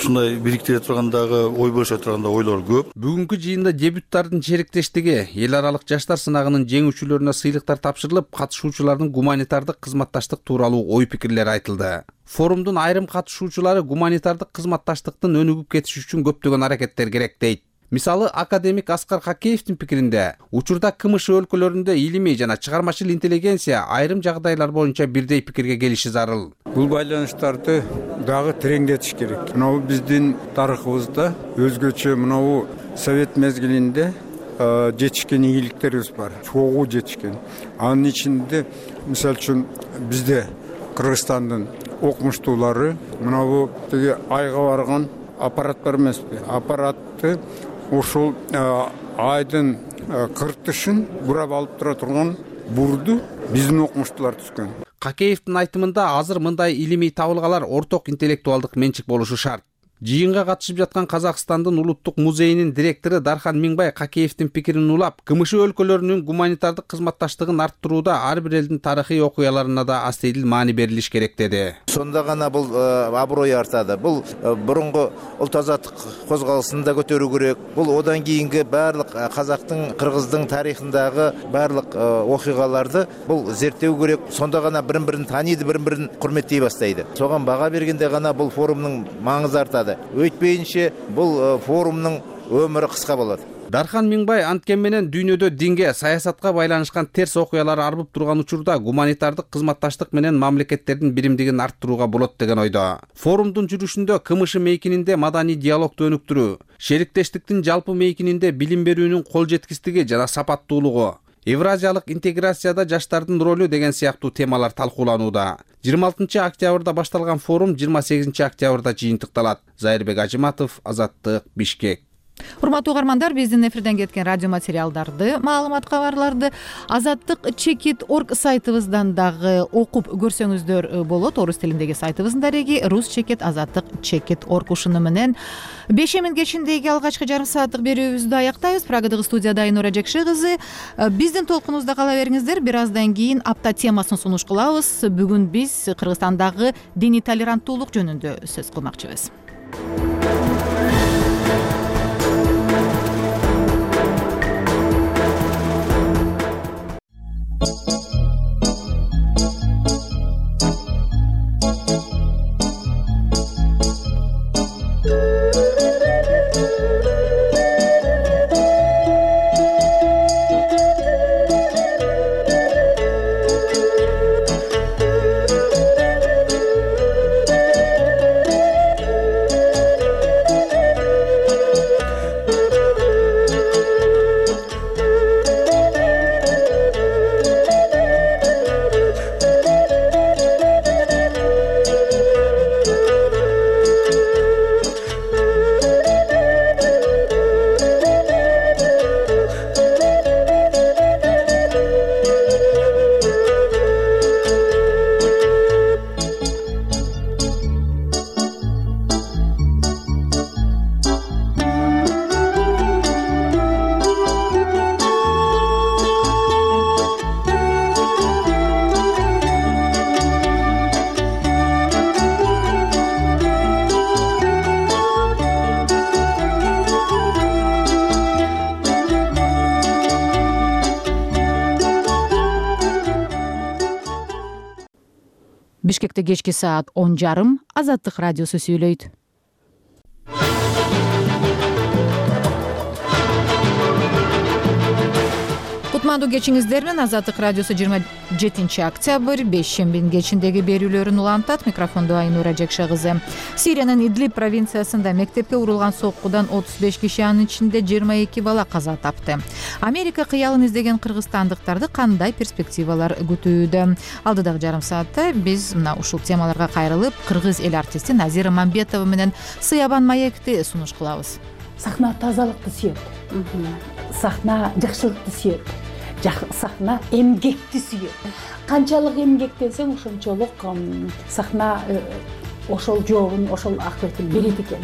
ушундай бириктире тургандагы, ой бөлүшө турганда ойлор көп. Бүгүнкү жыйында дебюттардын чериктештиги, эл аралык жаштар сынагынын жеңүүчүлөрүнө сыйлыктар тапшырылып, катышуучулардын гуманитардык кызматташтык тууралуу ой пикирлер айтылды. Форумдун айрым катышуучулары гуманитардык кызматташтыктын өнүгүп кетиши үчүн көптөгөн аракеттер керек дейт. Мисалы, академик Аскар Хакеевдин пикиринде, учурда КМШ өлкөлөрүндө илимий жана чыгармачыл интеллигенция айрым жагдайлар боюнча бирдей пикирге келиши зарыл. Бул байланыштарды дагы тереңдетиш керек. Мынау биздин тарыхыбызда өзгөчө мынау совет мезгилинде жетишкен ийгиликтерибиз бар. Чогуу жетишкен. Анын ичинде, мисалы үчүн, бизде Кыргызстандын окумуштуулары мынау тиги айга барган аппарат бар эмеспи? Аппаратты ушул айдын кыртышын бурап алып тура турган бурду биздин окумуштуулар түзгөн. Хакеевдин айтымында азыр мындай илимий табылгалар орток интеллектуалдык менчик болушу шарт. Жыйынга катышып жаткан Казакстандын улуттук музейинин директору Дархан Миңбай Хакеевдин пикирин улап, КМШ өлкөлөрүнүн гуманитардык кызматташтыгын арттырууда ар бир элдин тарыхый окуяларына да астейдил маани берилиш керек деди. Сонда гана бул аброй артады. Бул бурунку улт азаттык козголусын да көтөрүү керек. Бул одан кийинки баардык казактын, кыргыздын тарыхындагы баардык окуяларды бул зерттөө керек. Сонда гана бири-бирин тааныйды, бири-бирин урметтей баштайды. Согон бага бергенде гана бул форумдун маңызы артады. Өйтпейинче бул форумдун өмүрү кыска болот. Дархан Миңбай анткен менен дүйнөдө динге, саясатка байланышкан терс окуялар арбып турган учурда гуманитардык кызматташтык менен мамлекеттердин биримдигин арттырууга болот деген ойдо. Форумдун жүрүшүндө КМШ мейкининде маданий диалогду өнүктүрүү, шериктештиктин жалпы мейкининде билим берүүнүн кол жеткистиги жана сапаттуулугу, Евразиялык интеграцияда жаштардын ролу деген сыяктуу темалар талкууланууда. 26 октябрда башталган форум 28 октябрда жыйынтыкталат. Зайырбек Ажыматов, Азаттык, Бишкек. Урматтуу угармандар, биздин эфирден кеткен радио материалдарды, маалымат кабарларды Azattik.org сайтыбыздан дагы окуп көрсөңүздөр болот. Орус тилиндеги сайтыбыздын дареги Rus.cheket Azattik.org ушуну менен 5 кечиндеги алгачкы жарым сааттык берүүбүздү аяктайбыз. Прагадагы студияда Айнура Жекше кызы. Биздин толкунубузда кала бериңиздер. Бир аздан кийин апта темасын сунуш кылабыз. Бүгүн биз Кыргызстандагы диний толеранттуулук жөнүндө сөз кылмакчыбыз. Бишкекте кечки саат 10:30 Азаттык радиосу сүйлөйт. Кутмандуу кечиңиздер менен Азаттык радиосу 27 октябрь бейшембинин кечиндеги берүүлөрүн улантат. Микрофондо Айнура Жекша кызы. Сириянын Идлиб провинциясында мектепке урулган соккудан 35 киши, анын ичинде 22 бала каза тапты. Америка кыялын издеген кыргызстандыктарды кандай перспективалар күтүүдө? Алдыдагы жарым саатта биз мына ушул темаларга кайрылып, кыргыз эл артисти Назира Мамбетова менен Сыябан маекти сунуш кылабыз. Сахна тазалыкты сүйөт. Сахна жакшылыкты сүйөт. Сахна эмгекти сүйөт. Канчалык эмгектенсең, ошончолук сахна ошол жообун, ошол акыбытын берет экен.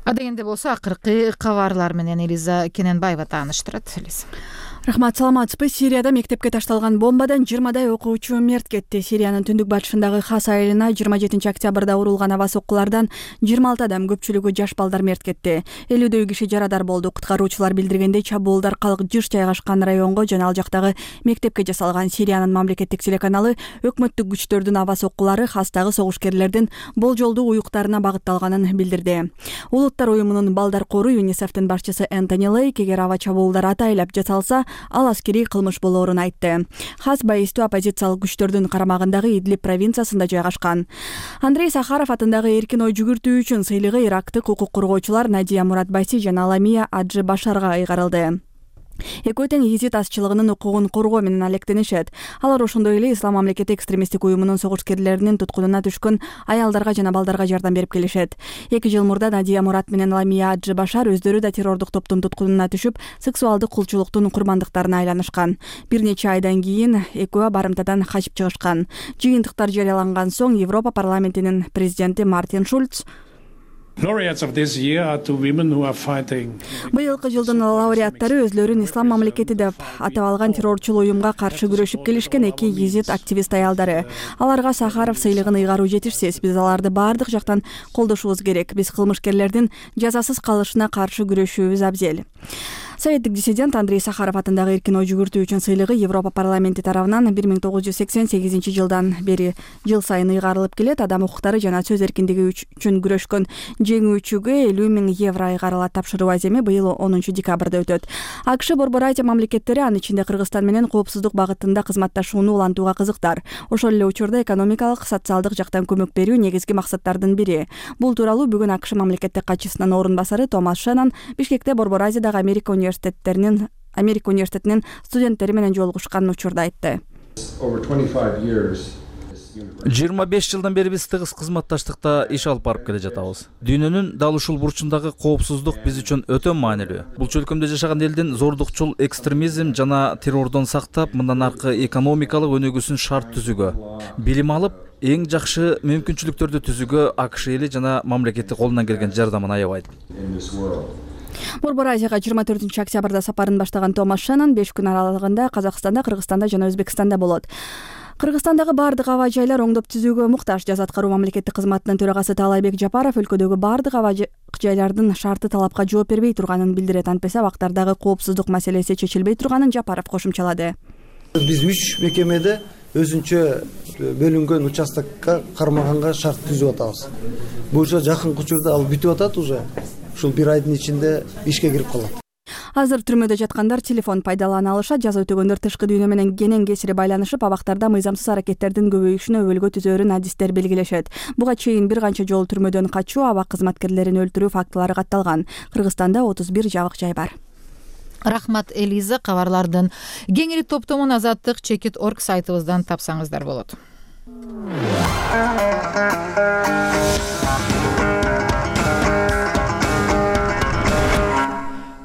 Адегенде болсо акыркы кабарлар менен Элиза Кененбаева тааныштырат. Рахмат, саламатсызбы. Сирияда мектепке ташталган бомбадан 20дай окуучу мерт кетти. Сириянын түндүк батышындагы Хас айылына 27 октябрда урулган аба соккулардан 26 адам, көпчүлүгү жаш балдар мерт кетти. 50дөй киши жарадар болду. Куткаруучулар билдиргендей, чабуулдар калк жыш жайгашкан районго жана ал жактагы мектепке жасалган. Сириянын мамлекеттик телеканалы өкмөттүк күчтөрдүн аба соккулары Хастагы согушкерлердин болжолдуу уюктарына багытталганын билдирди. Улуттар уюмунун балдар кору ЮНИСЕФтин башчысы Энтони Лейк эгер аба чабуулдар атайлап жасалса, ал аскерий кылмыш болоорун айтты. Хас байыстуу оппозициялык күчтөрдүн карамагындагы Идлиб провинциясында жайгашкан. Андрей Сахаров атындагы эркин ой жүгүртүү үчүн сыйлыгы ирактык укук коргоочулар Надия Муратбаси жана Ламия Аджи Башарга ыйгарылды. Экөө тең езит азчылыгынын укугун коргоо менен алектенишет. Алар ошондой эле Ислам мамлекети экстремисттик уюмунун согушкерлеринин туткунуна түшкөн аялдарга жана балдарга жардам берип келишет. 2 жыл мурда Надия Мурат менен Ламия Аджи Башар өздөрү да террордук топтун туткунуна түшүп, сексуалдык кулчулуктун курмандыктарына айланышкан. Бир нече айдан кийин экөө барымтадан качып чыгышкан. Жыйынтыктар жарыяланган соң Европа парламентинин президенти Мартин Шульц быйылкы жылдын лауреаттары өзлөрүн Ислам мамлекети деп атап алган террорчул уюмга каршы күрөшүп келишкен 2 езит активист аялдары. Аларга Сахаров сыйлыгын ыйгаруу жетишсиз. Биз аларды баардык жактан колдошубуз керек. Биз кылмышкерлердин жазасыз калышына каршы күрөшүүбүз абзел. Советтик диссидент Андрей Сахаров атындагы эркин ой жүгүртүү үчүн сыйлыгы Европа парламенти тарабынан 1988 жылдан бери жыл сайын ыйгарылып келет. Адам укуктары жана сөз эркиндиги үчүн күрөшкөн жеңүүчүгө 50 000 евро ыйгарылат. Тапшыруу аземи быйыл 10 декабрда өтөт. АКШ Борбор Азия мамлекеттери, анын ичинде Кыргызстан менен коопсуздук багытында кызматташууну улантууга кызыктар. Ошол эле учурда экономикалык, социалдык жактан көмөк берүү негизги максаттардын бири. Бул тууралуу бүгүн АКШ мамлекеттик катчысынын орун басары Томас Шеннон Бишкекте Борбор Азиядагы Америка университетинин студенттери менен жолугушкан учурда айтты. 25 жылдан бери биз тыгыз кызматташтыкта иш алып барып келе жатабыз. Дүйнөнүн дал ушул бурчундагы коопсуздук биз үчүн өтө маанилүү. Бул чөлкөмдө жашаган элдин зордукчул экстремизм жана террордон сактап, мындан аркы экономикалык өнүгүүсүн шарт түзүүгө, билим алып, эң жакшы мүмкүнчүлүктөрдү түзүүгө АКШ эли жана мамлекети колунан келген жардамын аябайт. Борбор Азияга 24 октябрда сапарын баштаган Томас Шеннон 5 күн аралыгында Казакстанда, Кыргызстанда жана Өзбекстанда болот. Кыргызстандагы бардык аба жайлар оңдоп түзүүгө муктаж. Жаз аткаруу мамлекеттик кызматынын төрагасы Таалайбек Жапаров өлкөдөгү бардык аба жайлардын шарты талапка жооп бербей турганын билдирет. Антпесе абактардагы коопсуздук маселеси чечилбей турганын Жапаров кошумчалады. Биз 3 мекемеде өзүнчө бөлүнгөн участокко кармаганга шарт түзүп атабыз. Бул жакынкы учурда ал бүтүп атат уже. Ушул 1 айдын ичинде ишке кирип калат. Азыр түрмөдө жаткандар телефон пайдалана алышат. Жаза өтөгөндөр тышкы дүйнө менен кенен кесири байланышып, абактарда мыйзамсыз аракеттердин көбөйүшүнө өбөлгө түзөөрүн адистер белгилешет. Буга чейин бир канча жолу түрмөдөн качуу, абак кызматкерлерин өлтүрүү фактылары катталган. Кыргызстанда 31 жабык жай бар. Рахмат, Элиза. Кабарлардын кеңири топтомун Азаттык.org сайтыбыздан тапсаңыздар болот.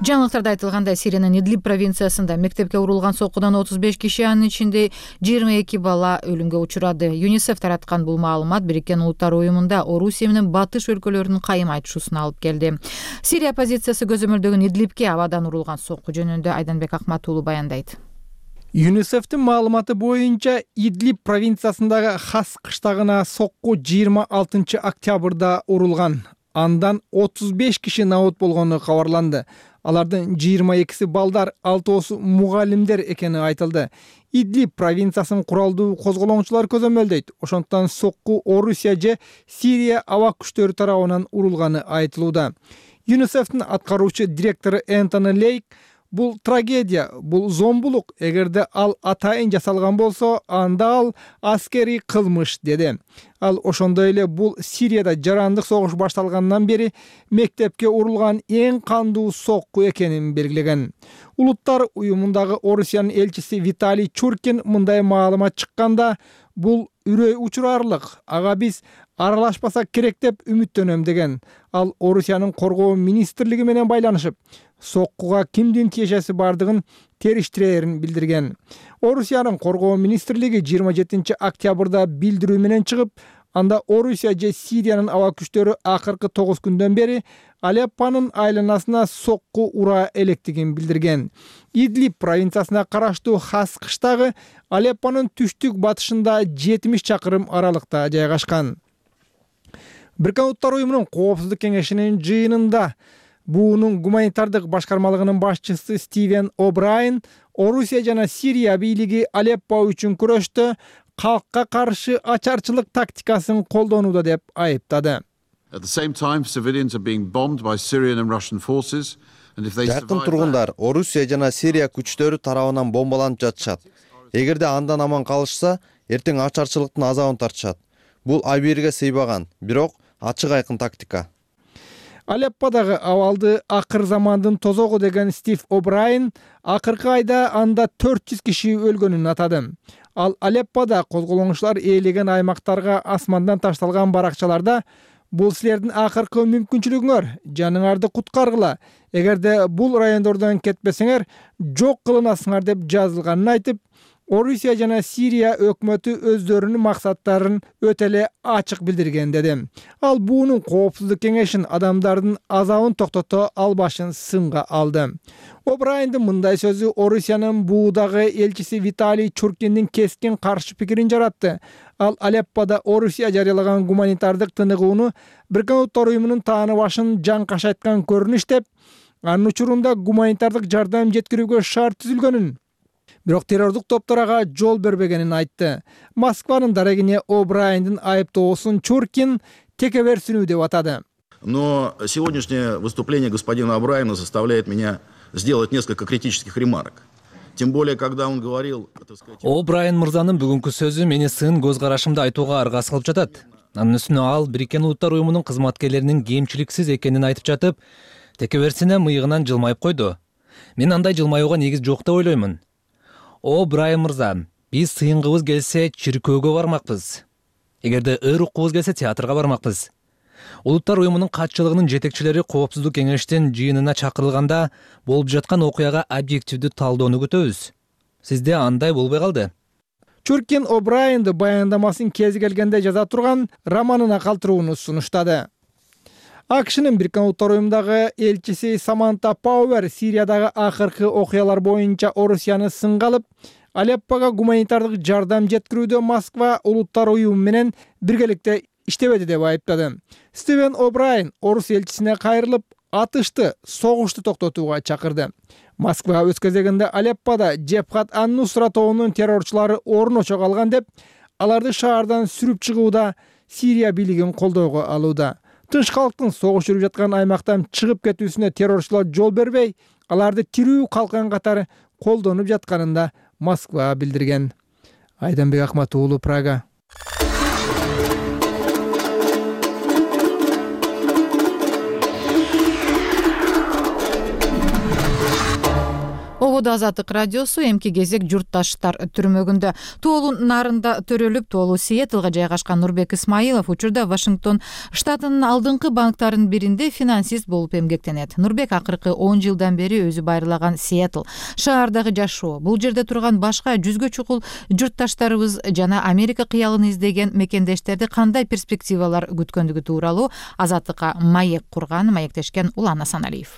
Жаңылыктарда айтылгандай, Сириянын Идлиб провинциясында мектепке урулган соккудан 35 киши, анын ичинде 22 бала өлүмгө учурады. ЮНИСЕФ тараткан бул маалымат Бириккен Улуттар уюмунда Орусия менен Батыш өлкөлөрүнүн кайым айтышуусуна алып келди. Сирия оппозициясы көзөмөлдөгөн Идлибке абадан урулган сокку жөнүндө Айданбек Акмат уулу баяндайт. ЮНИСЕФтин маалыматы боюнча Идлиб провинциясындагы Хас кыштагына сокку 26 октябрда урулган. Андан 35 киши набут болгону кабарланды. Алардын 22 балдар, 6 мугалимдер экени айтылды. Идлиб провинциясын куралдуу козголоңчулар көзөмөлдөйт. Ошондуктан сокку Орусия же Сирия аба күчтөрү тарабынан урулганы айтылууда. ЮНИСЕФтин аткаруучу директору Энтони Лейк бул трагедия, бул зомбулук. Эгерде ал атайын жасалган болсо, анда ал аскерий кылмыш деди. Ал ошондой эле бул Сирияда жарандык согуш башталгандан бери мектепке урулган эң кандуу сокку экенин белгилеген. Улуттар уюмундагы Орусиянын элчиси Виталий Чуркин мындай маалымат чыкканда, бул үрөй учурарлык. Ага биз аралашпасак керек деп үмүттөнөм деген. Ал Орусиянын коргоо министрлиги менен байланышып, соккуга кимдин тиешеси бардыгын териштирээрин билдирген. Орусиянын коргоо министрлиги 27 октябрда билдирүү менен чыгып, анда Орусия же Сириянын аба күчтөрү акыркы 9 күндөн бери Алеппонун айланасына сокку ура электигин билдирген. Идлиб провинциясына караштуу Хас кыштагы Алеппонун түштүк батышында 70 чакырым аралыкта жайгашкан. Бириккен Улуттар уюмунун коопсуздук кеңешинин жыйынында буунун гуманитардык башкармалыгынын башчысы Стивен О'Брайен Орусия жана Сирия бийлиги Алеппо үчүн күрөштө калкка каршы ачарчылык тактикасын колдонууда деп айыптады. Жакын тургундар Орусия жана Сирия күчтөрү тарабынан бомбаланып жатышат. Эгерде андан аман калышса, эртең ачарчылыктын азабын тартышат. Бул абийирге сыйбаган, бирок ачык айкын тактика. Алепподагы абалды акыр замандын тозогу деген Стив О'Брайен акыркы айда анда 400 киши өлгөнүн атады. Ал Алеппода козголоңчулар ээлеген аймактарга асмандан ташталган баракчаларда бул силердин акыркы мүмкүнчүлүгүңөр, жаныңарды куткаргыла. Эгерде бул райондордон кетпесеңер, жок кылынасыңар деп жазылганын айтып, Орусия жана Сирия өкмөтү өздөрүнүн максаттарын өтө эле ачык билдирген деди. Ал буунун коопсуздук кеңешин адамдардын азабын токтото албашын сынга алды. О'Брайендин мындай сөзү Орусиянын буудагы элчиси Виталий Чуркиндин кескин каршы пикирин жаратты. Ал Алеппода Орусия жарыялаган гуманитардык тыныгууну Бириккен Улуттар уюмунун тааныбашын жаңкашайткан көрүнүш деп, анын учурунда гуманитардык жардам жеткирүүгө шарт түзүлгөнүн, бирок террордук топторго жол бербегенин айтты. Москванын дарегине О'Брайендин айыптоосун Чуркин текеберсинүү деп атады. Но сегодняшнее выступление господина О'Брайена заставляет меня сделать несколько критических ремарок. Тем более, когда он говорил... О'Брайен мырзанын бүгүнкү сөзү мени сын көз карашымды айтууга аргасыз кылып жатат. Анын үстүнө ал Бириккен Улуттар уюмунун кызматкерлеринин кемчиликсиз экенин айтып жатып, текеберсине мыйыгынан жылмайып койду. Мен андай жылмаюуга негиз жок деп ойлоймун. О'Брайен мырза, биз сыйынгыбыз келсе чиркөөгө бармакпыз. Эгерде ыр уккубуз келсе театрга бармакпыз. Улуттар уюмунун катчылыгынын жетекчилери коопсуздук кеңештин жыйынына чакырылганда болуп жаткан окуяга объективдүү талдоону күтөбүз. Сизде андай болбой калды. Чуркин О'Брайенди баяндамасын кези келгенде жаза турган романына калтырууну сунуштады. АКШнын Бириккен Улуттар уюмундагы элчиси Саманта Пауэр Сириядагы акыркы окуялар боюнча Орусияны сынга алып, Алеппого гуманитардык жардам жеткирүүдө Москва Улуттар уюму менен биргеликте иштебеди деп айыптады. Стивен О'Брайен Орус элчисине кайрылып, атышты, согушту токтотууга чакырды. Москва өз кезегинде Алеппода Джебхат ан-Нусра тобунун террорчулары орун очого алган деп, аларды шаардан сүрүп чыгууда Сирия бийлигин колдоого алууда. Тынч калктын согуш жүрүп жаткан аймактан чыгып кетүүсүнө террорчулар жол бербей, аларды тирүү калкан катары колдонуп жатканын да Москва билдирген. Айданбек Акмат уулу, Прага. Ободо Азаттык радиосу эмки кезек журтташтар түрмөгүндө. Тоолун нарында төрөлүп, Тоолу Сиэтлга жайгашкан Нурбек Исмаилов учурда Вашингтон штатынын алдыңкы банктарынын биринде финансист болуп эмгектенет. Нурбек акыркы 10 жылдан бери өзү байырлаган Сиэтл шаардагы жашоо, бул жерде турган башка жүзгө чукул журтташтарыбыз жана Америка кыялын издеген мекендештерди кандай перспективалар күткөндүгү тууралуу Азаттыкка маек курган, маектешкен Улан Асаналиев.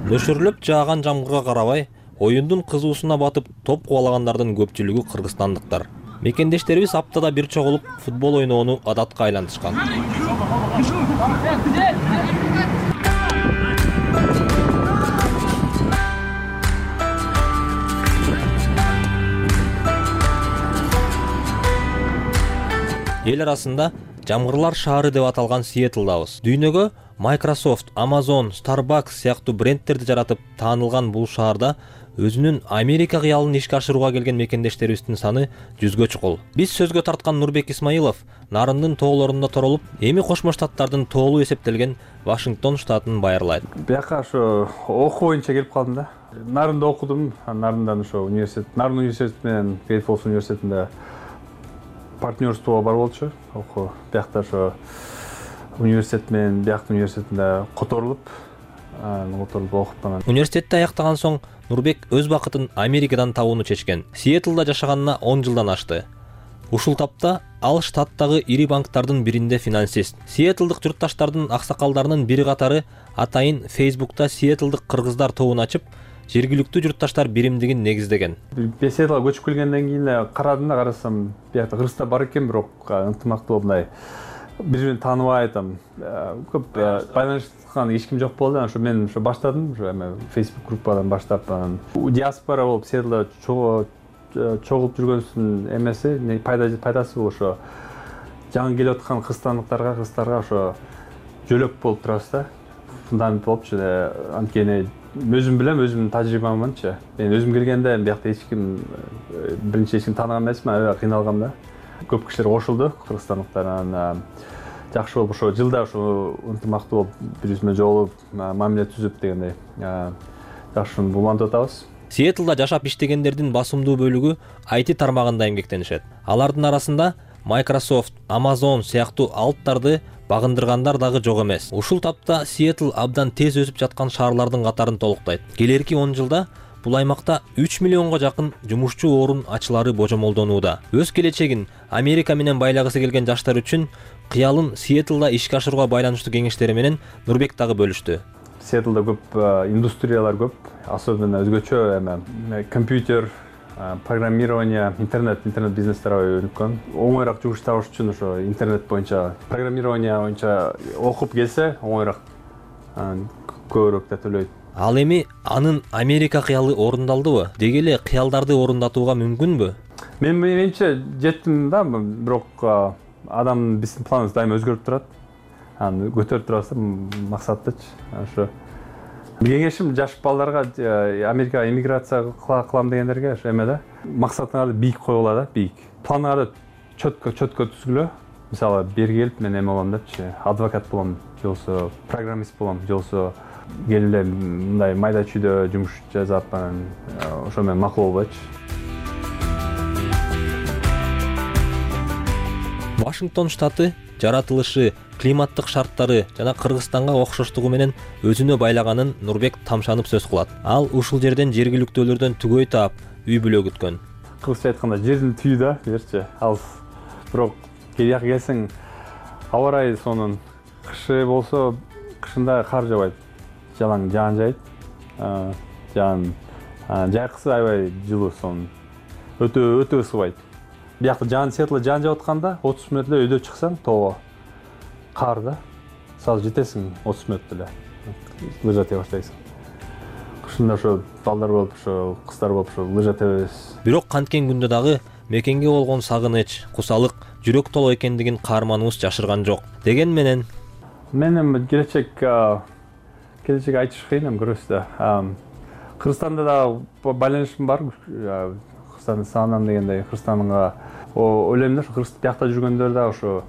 Нөшүрүлүп жааган жамгырга карабай, оюндун кызуусуна батып топ кубалагандардын көпчүлүгү кыргызстандыктар. Мекендештерибиз аптада бир чогулуп футбол ойноону адатка айлантышкан. эл арасында жамгырлар шаары деп аталган Сиэтлдабыз. Дүйнөгө Microsoft, Amazon, Starbucks сыяктуу брендтерди жаратып таанылган бул шаарда өзүнүн Америка кыялын ишке ашырууга келген мекендештерибиздин саны 100гө чукул. Биз сөзгө тарткан Нурбек Исмаилов Нарындын тоолорунда торолуп, эми Кошмо Штаттардын тоолу эсептелген Вашингтон штатын байырлайт. Бияка ошо окуу боюнча келип калдым да. Нарында окудум, Нарындан ошо университет, Нарын университети менен Great Falls университетинде партнерствого бар болчу. Окуу биякта ошо университет менен биякта университетинде которулуп окуп анан. Университетти аяктаган соң Нурбек өз бакытын Америкадан табууну чечкен. Сиэтлда жашаганына 10 жылдан ашты. Ушул тапта ал штаттагы ири банктардын биринде финансист. Сиэтлдык журтташтардын аксакалдарынын бири катары атайын Facebook'та Сиэтлдык кыргыздар тобун ачып, жергиликтүү журтташтар биримдигин негиздеген. Сиэтлга көчүп келгенден кийин карадым да, карасам, биякта кыргыздар бар экен, бирок ынтымактуу мындай бири-бирин тааныбай көп байланышкан эч ким жок болду. Ошо мен баштадым, Facebook группадан баштап, диаспора болуп Сиэтлда чогулуп жүргөнсүн эмеси, пайдасы бул ошо жаңы келип аткан кыргызстандыктарга ошо жөлөк болуп турабыз да. Фундамент болупчу. Анткени өзүм билем, өзүмдүн тажрыйбамчы. Мен өзүм келгенде биякта эч ким тааныган эмесмин, аябай кыйналгам да. Көп кишилер кошулду, кыргызстандыктар. Жакшы болуп ошо жылда ошо ынтымактуу болуп, бири-бирибиз менен жолугуп, мамиле түзүп дегендей жакшы улантып атабыз. Сиэтлда жашап иштегендердин басымдуу бөлүгү IT тармагында эмгектенишет. Алардын арасында Microsoft, Amazon сыяктуу алыптарды багындыргандар дагы жок эмес. Ушул тапта Сиэтл абдан тез өсүп жаткан шаарлардын катарын толуктайт. Келерки 10 жылда бул аймакта 3 миллионго жакын жумушчу орун ачылары божомолдонууда. Өз келечегин Америка менен байлагысы келген жаштар үчүн кыялын Сиэтлда ишке ашырууга байланыштуу кеңештери менен Нурбек дагы бөлүштү. Сиэтлда көп индустриялар көп, особенно өзгөчө компьютер, программирование, интернет бизнестер өнүккөн. Оңойраак жумуш табыш үчүн ошо интернет боюнча, программирование боюнча окуп келсе, оңойраак көбүрөөк да төлөйт. Ал эми анын Америка кыялы орундалдыбы? Деги эле кыялдарды орундатууга мүмкүнбү? Менимче жеттим да, бирок адам биздин планыбыз дайыма өзгөрүп турат. Аны көтөрүп турабыз да максаттычы. Ошо кеңешим жаш балдарга Америкага эмиграция кылам дегендерге ошо эме да, максатыңарды бийик койгула да, бийик. Планыңарды чөткө түзгүлө. Мисалы, бери келип мен эме болом депчи, адвокат болом, же болбосо программист болом, же болбосо келип эле мындай майда чүйдө жумуш жасап, ошо менен макул болбойчу. Вашингтон штаты жаратылышы, климаттык шарттары жана Кыргызстанга окшоштугу менен өзүнө байлаганын Нурбек тамшанып сөз кылат. Ал ушул жерден жергиликтүүлөрдөн түгөй таап, үй бүлө күткөн. Кыргызча айтканда жердин түйү да, берчи. Ал бирок жака келсең, аба ырайы сонун кышы болсо, кышында кар жабайт, жалаң жаан жайт. Жайкысы аябай жылуу, сонун. Өтө ысыбайт. Биякта Сиэтлда жаан жаап атканда 30 мүнөт эле өйдө чыксаң, тоого кар да. Сразу жетесиң 30 мүнөт эле. Лыжа тебе баштайсың. Кышында ошо балдар болуп, ошо кыздар болуп, ошо лыжа тебебиз. Бирок канткен күндө дагы мекенге болгон сагыныч, кусалык, жүрөк толо экендигин каарманыбыз жашырган жок. Деген менен мен келечек айтыш кыйын, көрөсүз да. Кыргызстанда да байланышым бар. Кыргызстандын саанам дегендей, Кыргызстанга ойлойм да, ошо биякта жүргөндөр да ошо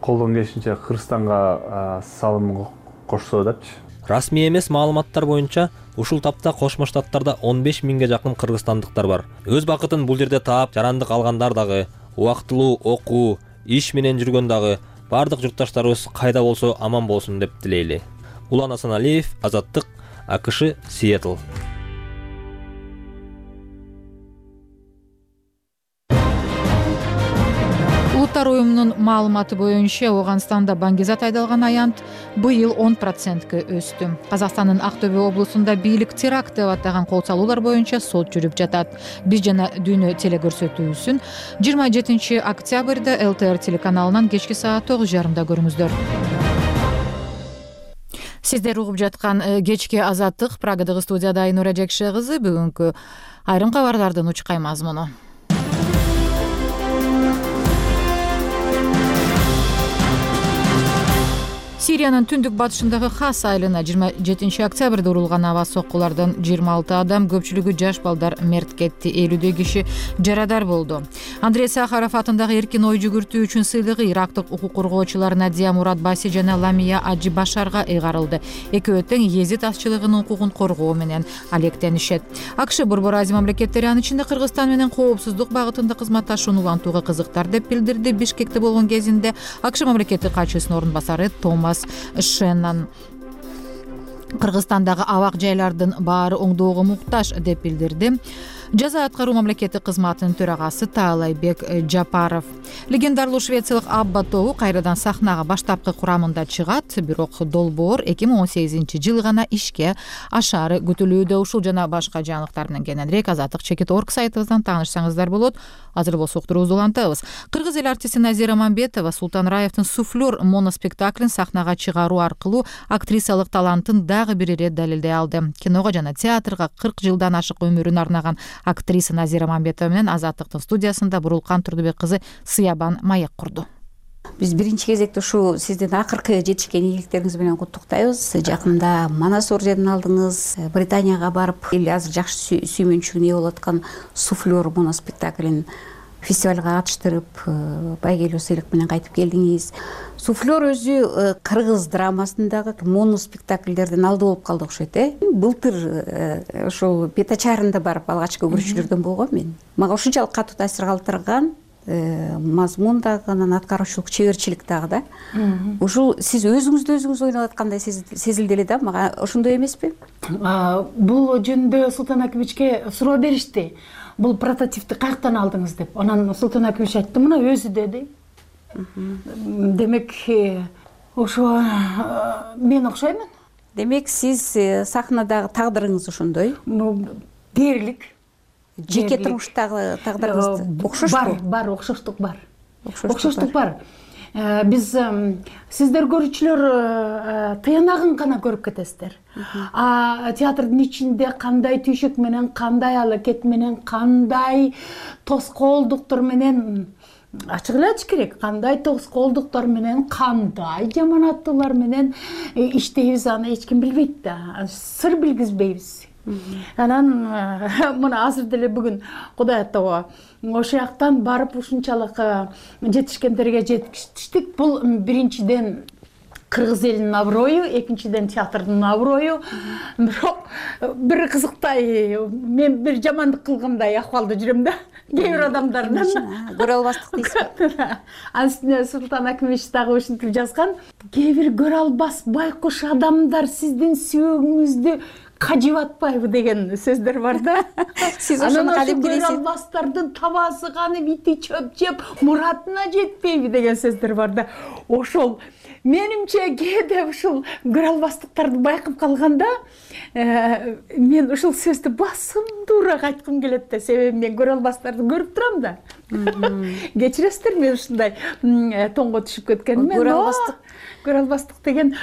колдон келишинче Кыргызстанга салым кошсо депчи. Расмий эмес маалыматтар боюнча ушул тапта Кошмо Штаттарда 15 миңге жакын кыргызстандыктар бар. Өз бакытын бул жерде таап, жарандык алгандар дагы, убактылуу окуу, иш менен жүргөн дагы, бардык журтташтарыбыз кайда болсо аман болсун деп тилейли. Улан Асаналиев, Азаттык, АКШ, Сиэтл. Улуттар уюмунун маалыматы боюнча Ооганстанда баңгизат айдалган аянт быйыл 10%га өстү. Казакстандын Актөбө облусунда бийлик теракт деп атаган кол салуулар боюнча сот жүрүп жатат. Биз жана дүйнө телекөрсөтүүсүн 27 октябрда ЛТР телеканалынан кечки саат 9:30 көрүңүздөр. Сиздер угуп жаткан кечки Азаттык, Прагадагы студияда Айнура Жекше кызы. Бүгүнкү айрым кабарлардын учкай мазмуну. Сириянын түндүк батышындагы Хас айылына 27 октябрда урулган аба соккулардан 26 адам, көпчүлүгү жаш балдар мерт кетти. 50 киши жарадар болду. Андрей Сахаров атындагы эркин ой жүгүртүү үчүн сыйлыгы ирактык укук коргоочулар Надия Мурат Баси жана Ламия Аджи Башарга ыйгарылды. Экөө тең Езид азчылыгынын укугун коргоо менен алектенишет. АКШ Борбор Азия мамлекеттери, анын ичинде Кыргызстан менен коопсуздук багытында кызматташууну улантууга кызыктар деп билдирди. Бишкекте болгон кезинде АКШ мамлекеттик катчысынын орун басары Томас Шеннон. Кыргызстандагы абак жайлардын баары оңдоого муктаж деп билдирди жаза аткаруу мамлекеттик кызматынын төрагасы Таалайбек Жапаров. Легендарлуу швециялык Абба тобу кайрадан сахнага баштапкы курамында чыгат, бирок долбоор 2018-жылы гана ишке ашаары күтүлүүдө. Ушул жана башка жаңылыктар менен кененирээк Азаттык Чекит.org сайтыбыздан таанышсаңыздар болот. Азыр болсо уктуруубузду улантабыз. Кыргыз эл артисти Назира Мамбетова Султан Раевдин «Суфлер» моноспектаклин сахнага чыгаруу аркылуу актрисалык талантын дагы бир ирет далилдей алды. Киного жана театрга 40 жылдан ашык өмүрүн арнаган актриса Назира Мамбетова менен Азаттыктын студиясында Бурулкан Турдубек кызы Сыябан маек курду. Биз биринчи кезекте ушул сиздин акыркы жетишкен ийгиликтериңиз менен куттуктайбыз. Жакында Манас орденин алдыңыз, Британияга барып, эл азыр жакшы сүймөнчүлүгүнө ээ болуп аткан «Суфлер» моноспектаклин фестивалга катыштырып, байгелүү сыйлык менен кайтып келдиңиз. «Суфлер» өзү кыргыз драмасындагы моноспектакльдердин алды болуп калды окшойт, Былтыр ошол Бетачарында барып алгачкы көрүүчүлөрдөн болгом мен. Мага ушунчалык катуу таасир калтырган мазмун дагы, анан аткаруучулук чеберчилик дагы да. Ушул сиз өзүңүздү өзүңүз ойноп аткандай сезилди эле да, мага ошондой эмеспи? Бул жөнүндө Султан Акимовичке суроо беришти. Бул прототипти каяктан алдыңыз деп. Анан Султан Акимович айтты, мына өзү деди. Демек, ошо мен окшоймун. Демек, сиз сахнадагы тагдырыңыз ошондой? Дээрлик. Жеке турмуштагы тагдырыңыз окшошпу? Бар, окшоштук бар. Окшоштук бар. Биз сиздер көрүүчүлөр тыянагын гана көрүп кетесиздер. Театрдын ичинде кандай түйшөк менен, кандай алакет менен, кандай тоскоолдуктар менен, ачык эле айтыш керек, кандай тоскоолдуктар менен, кандай жаманаттуулар менен иштейбиз, аны эч ким билбейт да. Сыр билгизбейбиз. Анан мына азыр деле бүгүн Кудай аттоо ошол жактан барып ушунчалык жетишкендерге жетиштик. Бул биринчиден кыргыз элинин аброю, экинчиден театрдын аброю. Бирок бир кызыктай, мен бир жамандык кылгандай акыбалда жүрөм да. Кээ бир адамдардан көрө албастык дейсизби? Анын үстүнө Султан Акимович дагы ушинтип жазган. Кээ бир көрө албас байкуш адамдар сиздин сүйөгүңүздү кажып атпайбы деген сөздөр бар да. Сиз ошону кадимки көрө албастардын табасы канып, ити чөп жеп, муратына жетпейби деген сөздөр бар да. Ошол менимче кээде ушул көрө албастыктарды байкап калганда, мен ушул сөздү басымдуураак айткым келет да, себеби мен көрө албастарды көрүп турам да. Кечиресиздер, мен ушундай тоңго түшүп кеткеним. Көрө албастык деген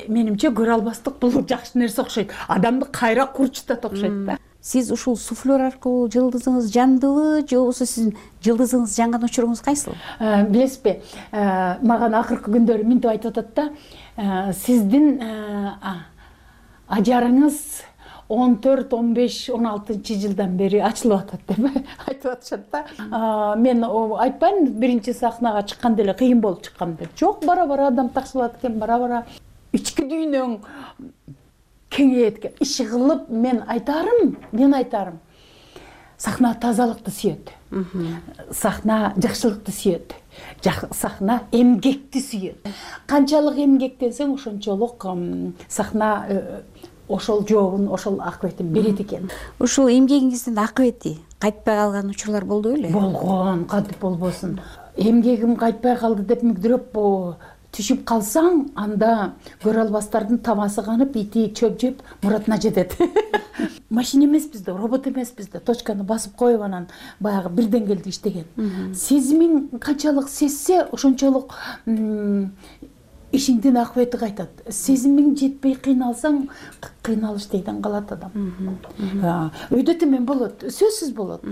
менимче көрө албастык бул жакшы нерсе окшойт. Адамды кайра курчутат окшойт да. Сиз ушул «Суфлер» аркылуу жылдызыңыз жандыбы, же болбосо сиздин жылдызыңыз жанган учуруңуз кайсыл? Билесизби, мага акыркы күндөрү минтип айтып атат да, сиздин ажарыңыз 14, 15, 16 жылдан бери ачылып атат деп айтып атышат да. Мен айтпайм, биринчи сахнага чыкканда эле кыйын болуп чыккан деп. Жок, бара-бара адам такшылат экен, бара-бара ички дүйнөң кеңейет экен. Иши кылып мен айтарым. Сахна тазалыкты сүйөт. Сахна жакшылыкты сүйөт. Сахна эмгекти сүйөт. Канчалык эмгектенсең, ошончолук сахна ошол жообун, ошол акыбетин берет экен. Ушул эмгегиңиздин акыбети кайтпай калган учурлар болду беле? Болгон, кантип болбосун. Эмгегим кайтпай калды деп мүгдүрөп түшүп калсаң, анда көрө албастардын табасы канып, ити чөп жеп, муратына жетет. Машина эмеспиз да, робот эмеспиз да, точканы басып коюп анан баягы бирден келди иштеген. Сезимиң канчалык сезсе, ошончолук ишиңдин акыбети кайтат. Сезимиң жетпей кыйналсаң, кыйналыш дейден калат адам. Өйдө темен болот, сөзсүз болот.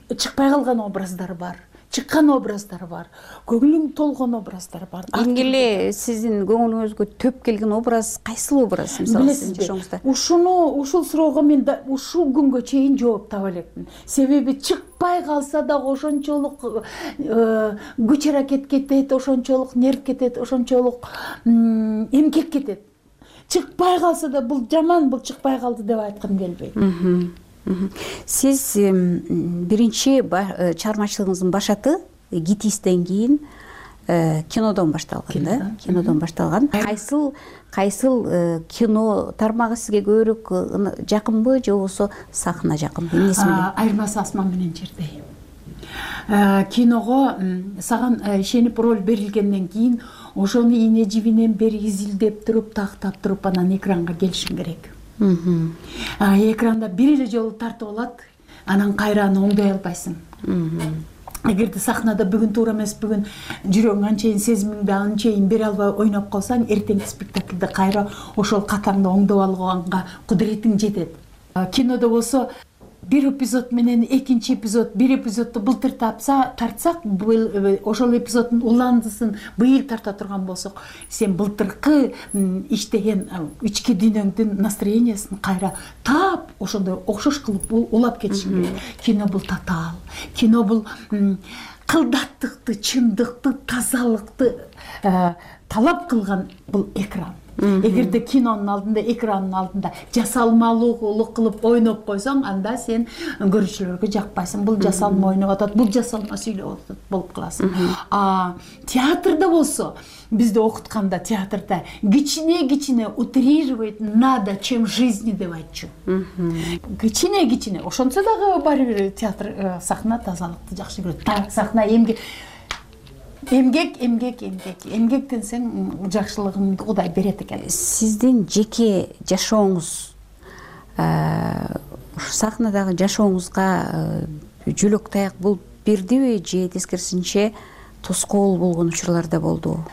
Чыкпай калган образдар бар. чыккан образдар бар, көңүлүң толгон образдар бар. Эң эле сиздин көңүлүңүзгө төп келген образ кайсыл образ мисалы сиздин жашооңузда? Ушул суроого мен ушул күнгө чейин жооп таба элекмин. Себеби чыкпай калса дагы ошончолук күч аракет кетет, ошончолук нерв кетет, ошончолук эмгек кетет. Чыкпай калса да бул жаман, бул чыкпай калды деп айткым келбейт. Сиз биринчи чыгармачылыгыңыздын башаты Гитистен кийин кинодон башталган да? Кинодон башталган. Кайсыл кино тармагы сизге көбүрөөк жакынбы же болбосо сахна жакынбы? Эмнеси менен? Айырмасы асман менен жердей. Киного саган ишенип роль берилгенден кийин ошону ийне жибинен бери изилдеп туруп, тактап туруп анан экранга келишиң керек. Экранда бир эле жолу тартып алат, анан кайра аны оңдой албайсың. Эгерде сахнада бүгүн туура эмес, бүгүн жүрөгүң анчейин сезимиңди анчейин бере албай ойноп калсаң, эртеңки спектакльде кайра ошол катаңды оңдоп алганга кудуретиң жетет. Кинодо болсо бир эпизод менен экинчи эпизод, бир эпизодду былтыр тартсак, ошол эпизоддун уландысын быйыл тарта турган болсок, сен былтыркы иштеген ички дүйнөңдүн настроениясын кайра таап, ошондой окшош кылып улап кетишиң керек. Кино бул татаал. Кино бул кылдаттыкты, чындыкты, тазалыкты талап кылган бул экран. Эгерде кинонун алдында, экранын алдында жасалмалуулук кылып ойноп койсоң, анда сен көрүүчүлөргө жакпайсың. Бул жасалма ойноп атат, бул жасалма сүйлөп атат болуп каласың. Театрда болсо, бизди окутканда театрда кичине утрировать надо, чем жизни деп айтчу. Кичине. Ошончо дагы баары бир театр сахна тазалыкты жакшы көрөт. Сахна эмгек десең жакшылыгын Кудай берет экен. Сиздин жеке жашооңуз, сахнадагы жашооңузга жөлөк таяк болуп бердиби же тескерисинче тоскоол болгон учурлар да болду?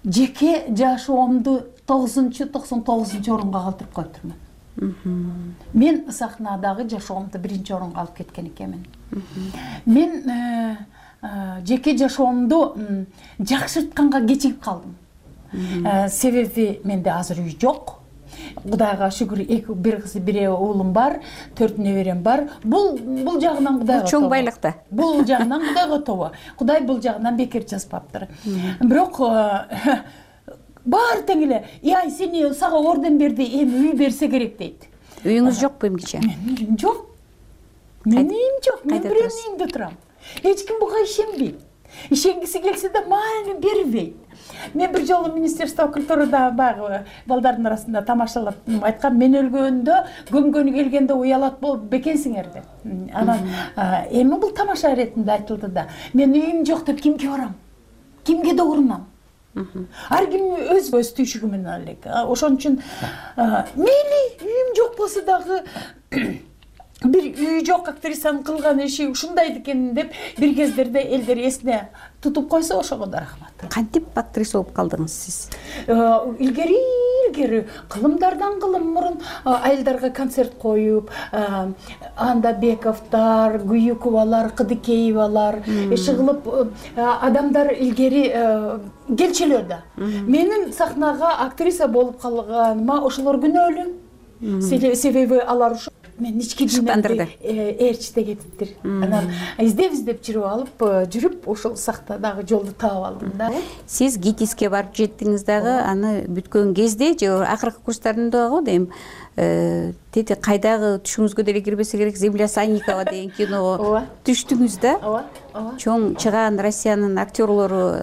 Жеке жашоомду 99 орунга калтырып койтурмун. Мен сахнадагы жашоомду биринчи орунга алып кеткен экенмин. Мен жеке жашоомду жакшыртканга кечигип калдым. Себеби менде азыр үй жок. Кудайга шүгүр, бир кыз, бир уулум бар, 4 неберем бар. Бул жагынан Кудайга чоң байлыкта. Бул жагынан Кудайга тобо. Кудай бул жагынан бекер жазбаптыр. Бирок баары тең эле, "Ай, сени сага орден берди, эми үй берсе керек" дейт. Үйүңүз жокпу эмгиче? Менин үйүм жок. Менин үйүм жок. Мен бирөөнүн үйүндө турам. Эч ким буга ишенбейт. Ишенгиси келсе да маани бербейт. Мен бир жолу Министерство культурада баягы балдардын арасында тамашалап айткам, мен өлгөндө көмгөнү келгенде уялат болуп бекенсиңер деп. Анан эми бул тамаша иретинде айтылды да. Мен үйүм жок деп кимге барам? Кимге догурунам? Ар ким өз түйшүгү менен элек. Ошон үчүн мейли үйүм жок болсо дагы бир үй жок актрисанын кылган иши ушундай экен деп бир кездерде элдер эсине тутуп койсо ошого да рахмат. Кантип актриса болуп калдыңыз сиз? Илгери кылымдардан кылым мурун айылдарга концерт коюп, анда Бековдор, Гуюковалар, Кыдыкеевалар иши кылып адамдар илгери келчүлөр да. Менин сахнага актриса болуп калганыма ошолор күнөөлүү. Себеби алар ушу мен ички дүйнөмдү ээрчите кетиптир. Анан издеп жүрүп ошол сахнадагы жолду таап алдым да. Сиз ГИТИСке барып жеттиңиз дагы, аны бүткөн кезде же акыркы курстарында го дейм, тети кайдагы түшүңүзгө деле кирбесе керек, Земля Санникова деген киного түштүңүз да. Чоң чыгаан Россиянын актерлору,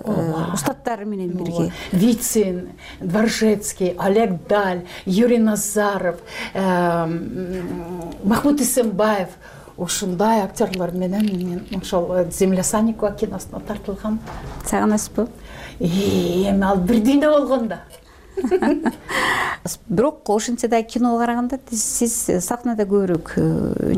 устаттары менен бирге. Вицин, Дворжецкий, Олег Даль, Юрий Назаров, Махмуд Исенбаев, ушундай актерлор менен мен ошол Земля Санникова киносуна тартылгам. Сагынасызбы? Эми ал бир дүйнө болгондо. Бирок ошентсе да киного караганда сиз сахнада көбүрөөк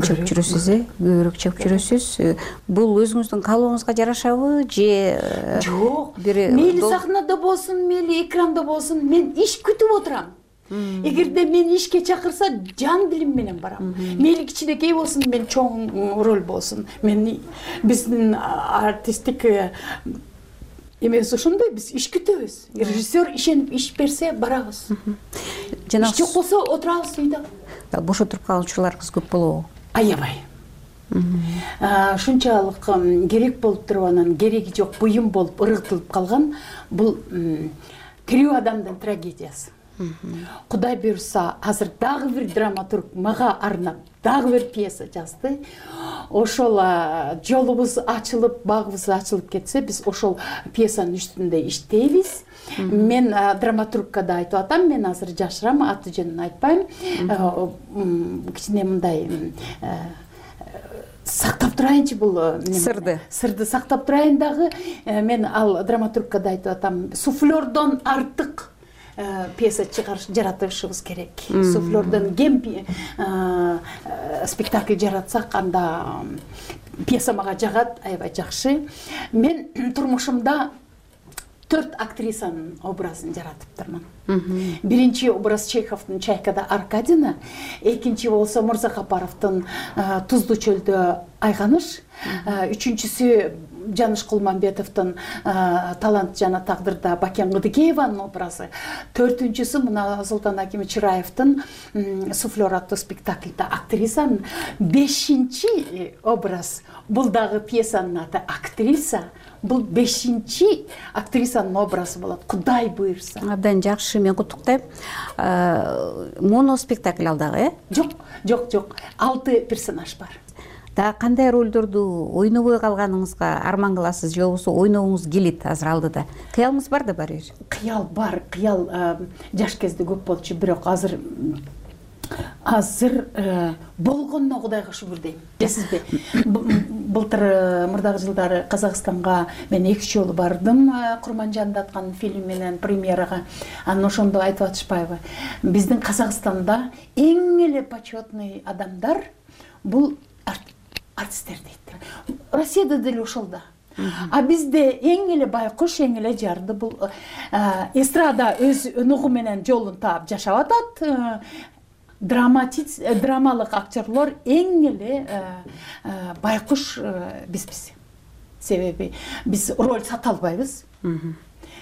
чыгып жүрөсүз, көбүрөөк чыгып жүрөсүз. Бул өзүңүздүн каалооңузга жарашабы же жок? Мейли сахнада болсун, мейли экранда болсун, мен иш күтүп отурам. Эгерде мени ишке чакырса жан дилим менен барам. Мейли кичинекей болсун, мен чоң роль болсун. Биздин артисттик эмес ошондой, биз иш күтөбүз. Режиссер ишенип иш берсе барабыз. Иш жок болсо отурабыз үйдө. Бош отуруп калган учурларыңыз көп болобу? Аябай. Ушунчалык керек болуп туруп анан кереги жок буюм болуп ыргытылып калган бул тирүү адамдын трагедиясы. Кудай буйрса, азыр дагы бир драматург мага арнап дагы бир пьеса жазды. Ошол жолубуз ачылып, багыбыз ачылып кетсе, биз ошол пьесанын үстүндө иштейбиз. Мен драматургка да айтып атам, мен азыр жашырам, аты жөнүн айтпайм. Кичине мындай сактап турайынчы бул сырды сактап турайын дагы. Мен ал драматургка да айтып атам, суфлердон артык пьеса жаратышыбыз керек. Суфлердон кем спектакль жаратсак, анда пьеса мага жагат, аябай жакшы. Мен турмушумда 4 актрисанын образын жаратыптырмын. Биринчи образ Чеховдун Чайкада Аркадина, экинчи болсо Мырзахапаровдун Туздуу чөлдө Айганыш, үчүнчүсү Жаныш Кулмамбетовдун Талант жана тагдырда Бакен Кыдыкееванын образы, төртүнчүсү мына Султан Акимов Чыраевдин Суфлер аттуу спектакльда актрисанын, бешинчи образ бул дагы пьесанын аты актриса. Бул 5-чи актрисанын образы болот, Кудай буйрса. Абдан жакшы, мен куттуктайм. Моно спектакль ал дагы, Жок. 6 персонаж бар. Да кандай ролдорду ойнобой калганыңызга арман кыласыз, же болбосо ойногуңуз келет азыр алдыда? Кыялыңыз бар да барбыр? Кыял бар, кыял жаш кезде көп болчу, бирок азыр болгонуна Кудайга шүгүр дейм. Билесизби? Былтыр мурдагы жылдары Казакстанга мен 2 жолу бардым, Курманжанды аткан фильм менен премьерага. Анан ошондо айтып атышпайбы? Биздин Казакстанда эң эле почетный адамдар бул артисттер дейт. Россияда деле ошол да. А бизде эң эле байкуш, эң эле жарды бул эстрада өз өнөгү менен жолун таап жашап атат. Драмалык актерлор эң эле байкуш бизбиз. Себеби биз роль сата албайбыз.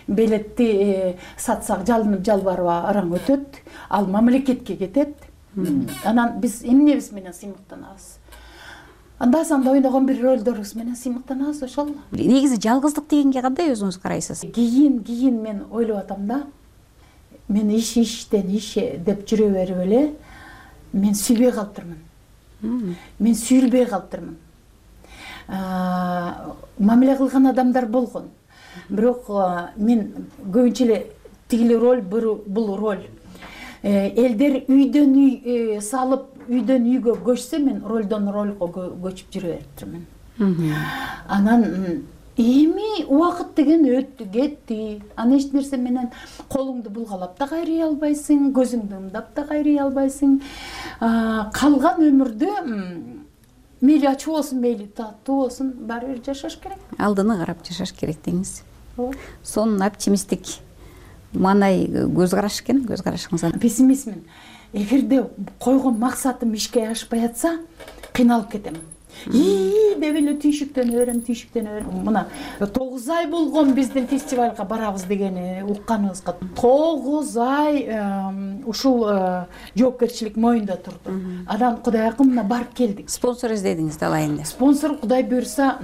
Билетти сатсак жалынып жалбарып араң өтөт, ал мамлекетке кетет. Анан биз эмнебиз менен сыймыктанабыз? Анда санда ойногон бир ролдорубуз менен сыймыктанабыз, ошол. Негизи жалгыздык дегенге кандай өзүңүз карайсыз? Кийин мен ойлоп атам да. Мен иштен иш деп жүрө берип эле мен сүйбөй калыптырмын. Мен сүйүлбөй калыптырмын. Мамиле кылган адамдар болгон. Бирок мен көбүнчө эле тигили роль, бул роль. Элдер үйдөн үй салып, үйдөн үйгө көчсө, мен ролдон ролго көчүп жүрө бериптирмин. Анан эми убакыт деген өттү, кетти. Аны эч нерсе менен колуңду булгалап да кайрый албайсың, көзүңдү ымдап да кайрый албайсың. Калган өмүрдө мейли ачуу болсун, мейли таттуу болсун, баары бир жашаш керек. Алдыны карап жашаш керек деңиз. Сонун оптимисттик маанай көз караш экен, көз карашыңыз. Пессимистмин. Эгерде койгон максатым ишке ашпай атса, кыйналып кетем. Деп эле түйшүктөн өрөм. Мына 9 ай болгон биздин фестивалга барабыз дегени укканыбызга 9 ай ушул жоопкерчилик моюнда турду. Анан Кудай акымына барып келдик. Спонсор издедиңиз далайында. Спонсор Кудай буйрса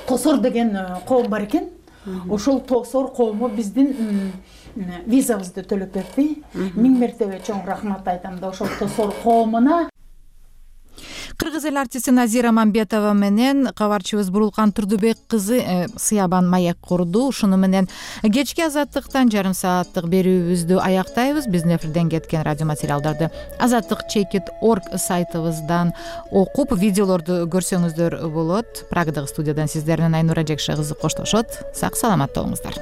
Тосор деген коом бар экен. Ошол Тосор коому биздин визабызды төлөп берди. 1000 мертебе чоң рахмат айтам да ошол Тосор коомуна. Кыргыз эл артисти Назира Мамбетова менен кабарчыбыз Бурулкан Турдубек кызы сыябан маек курду. Ушуну менен кечки Азаттыктан жарым сааттык берүүбүздү аяктайбыз. Биздин эфирден кеткен радио материалдарды azattik.org сайтыбыздан окуп, видеолорду көрсөңүздөр болот. Прагадагы студиядан сиздер менен Айнура Жекше кызы коштошот. Сак саламатта болуңуздар.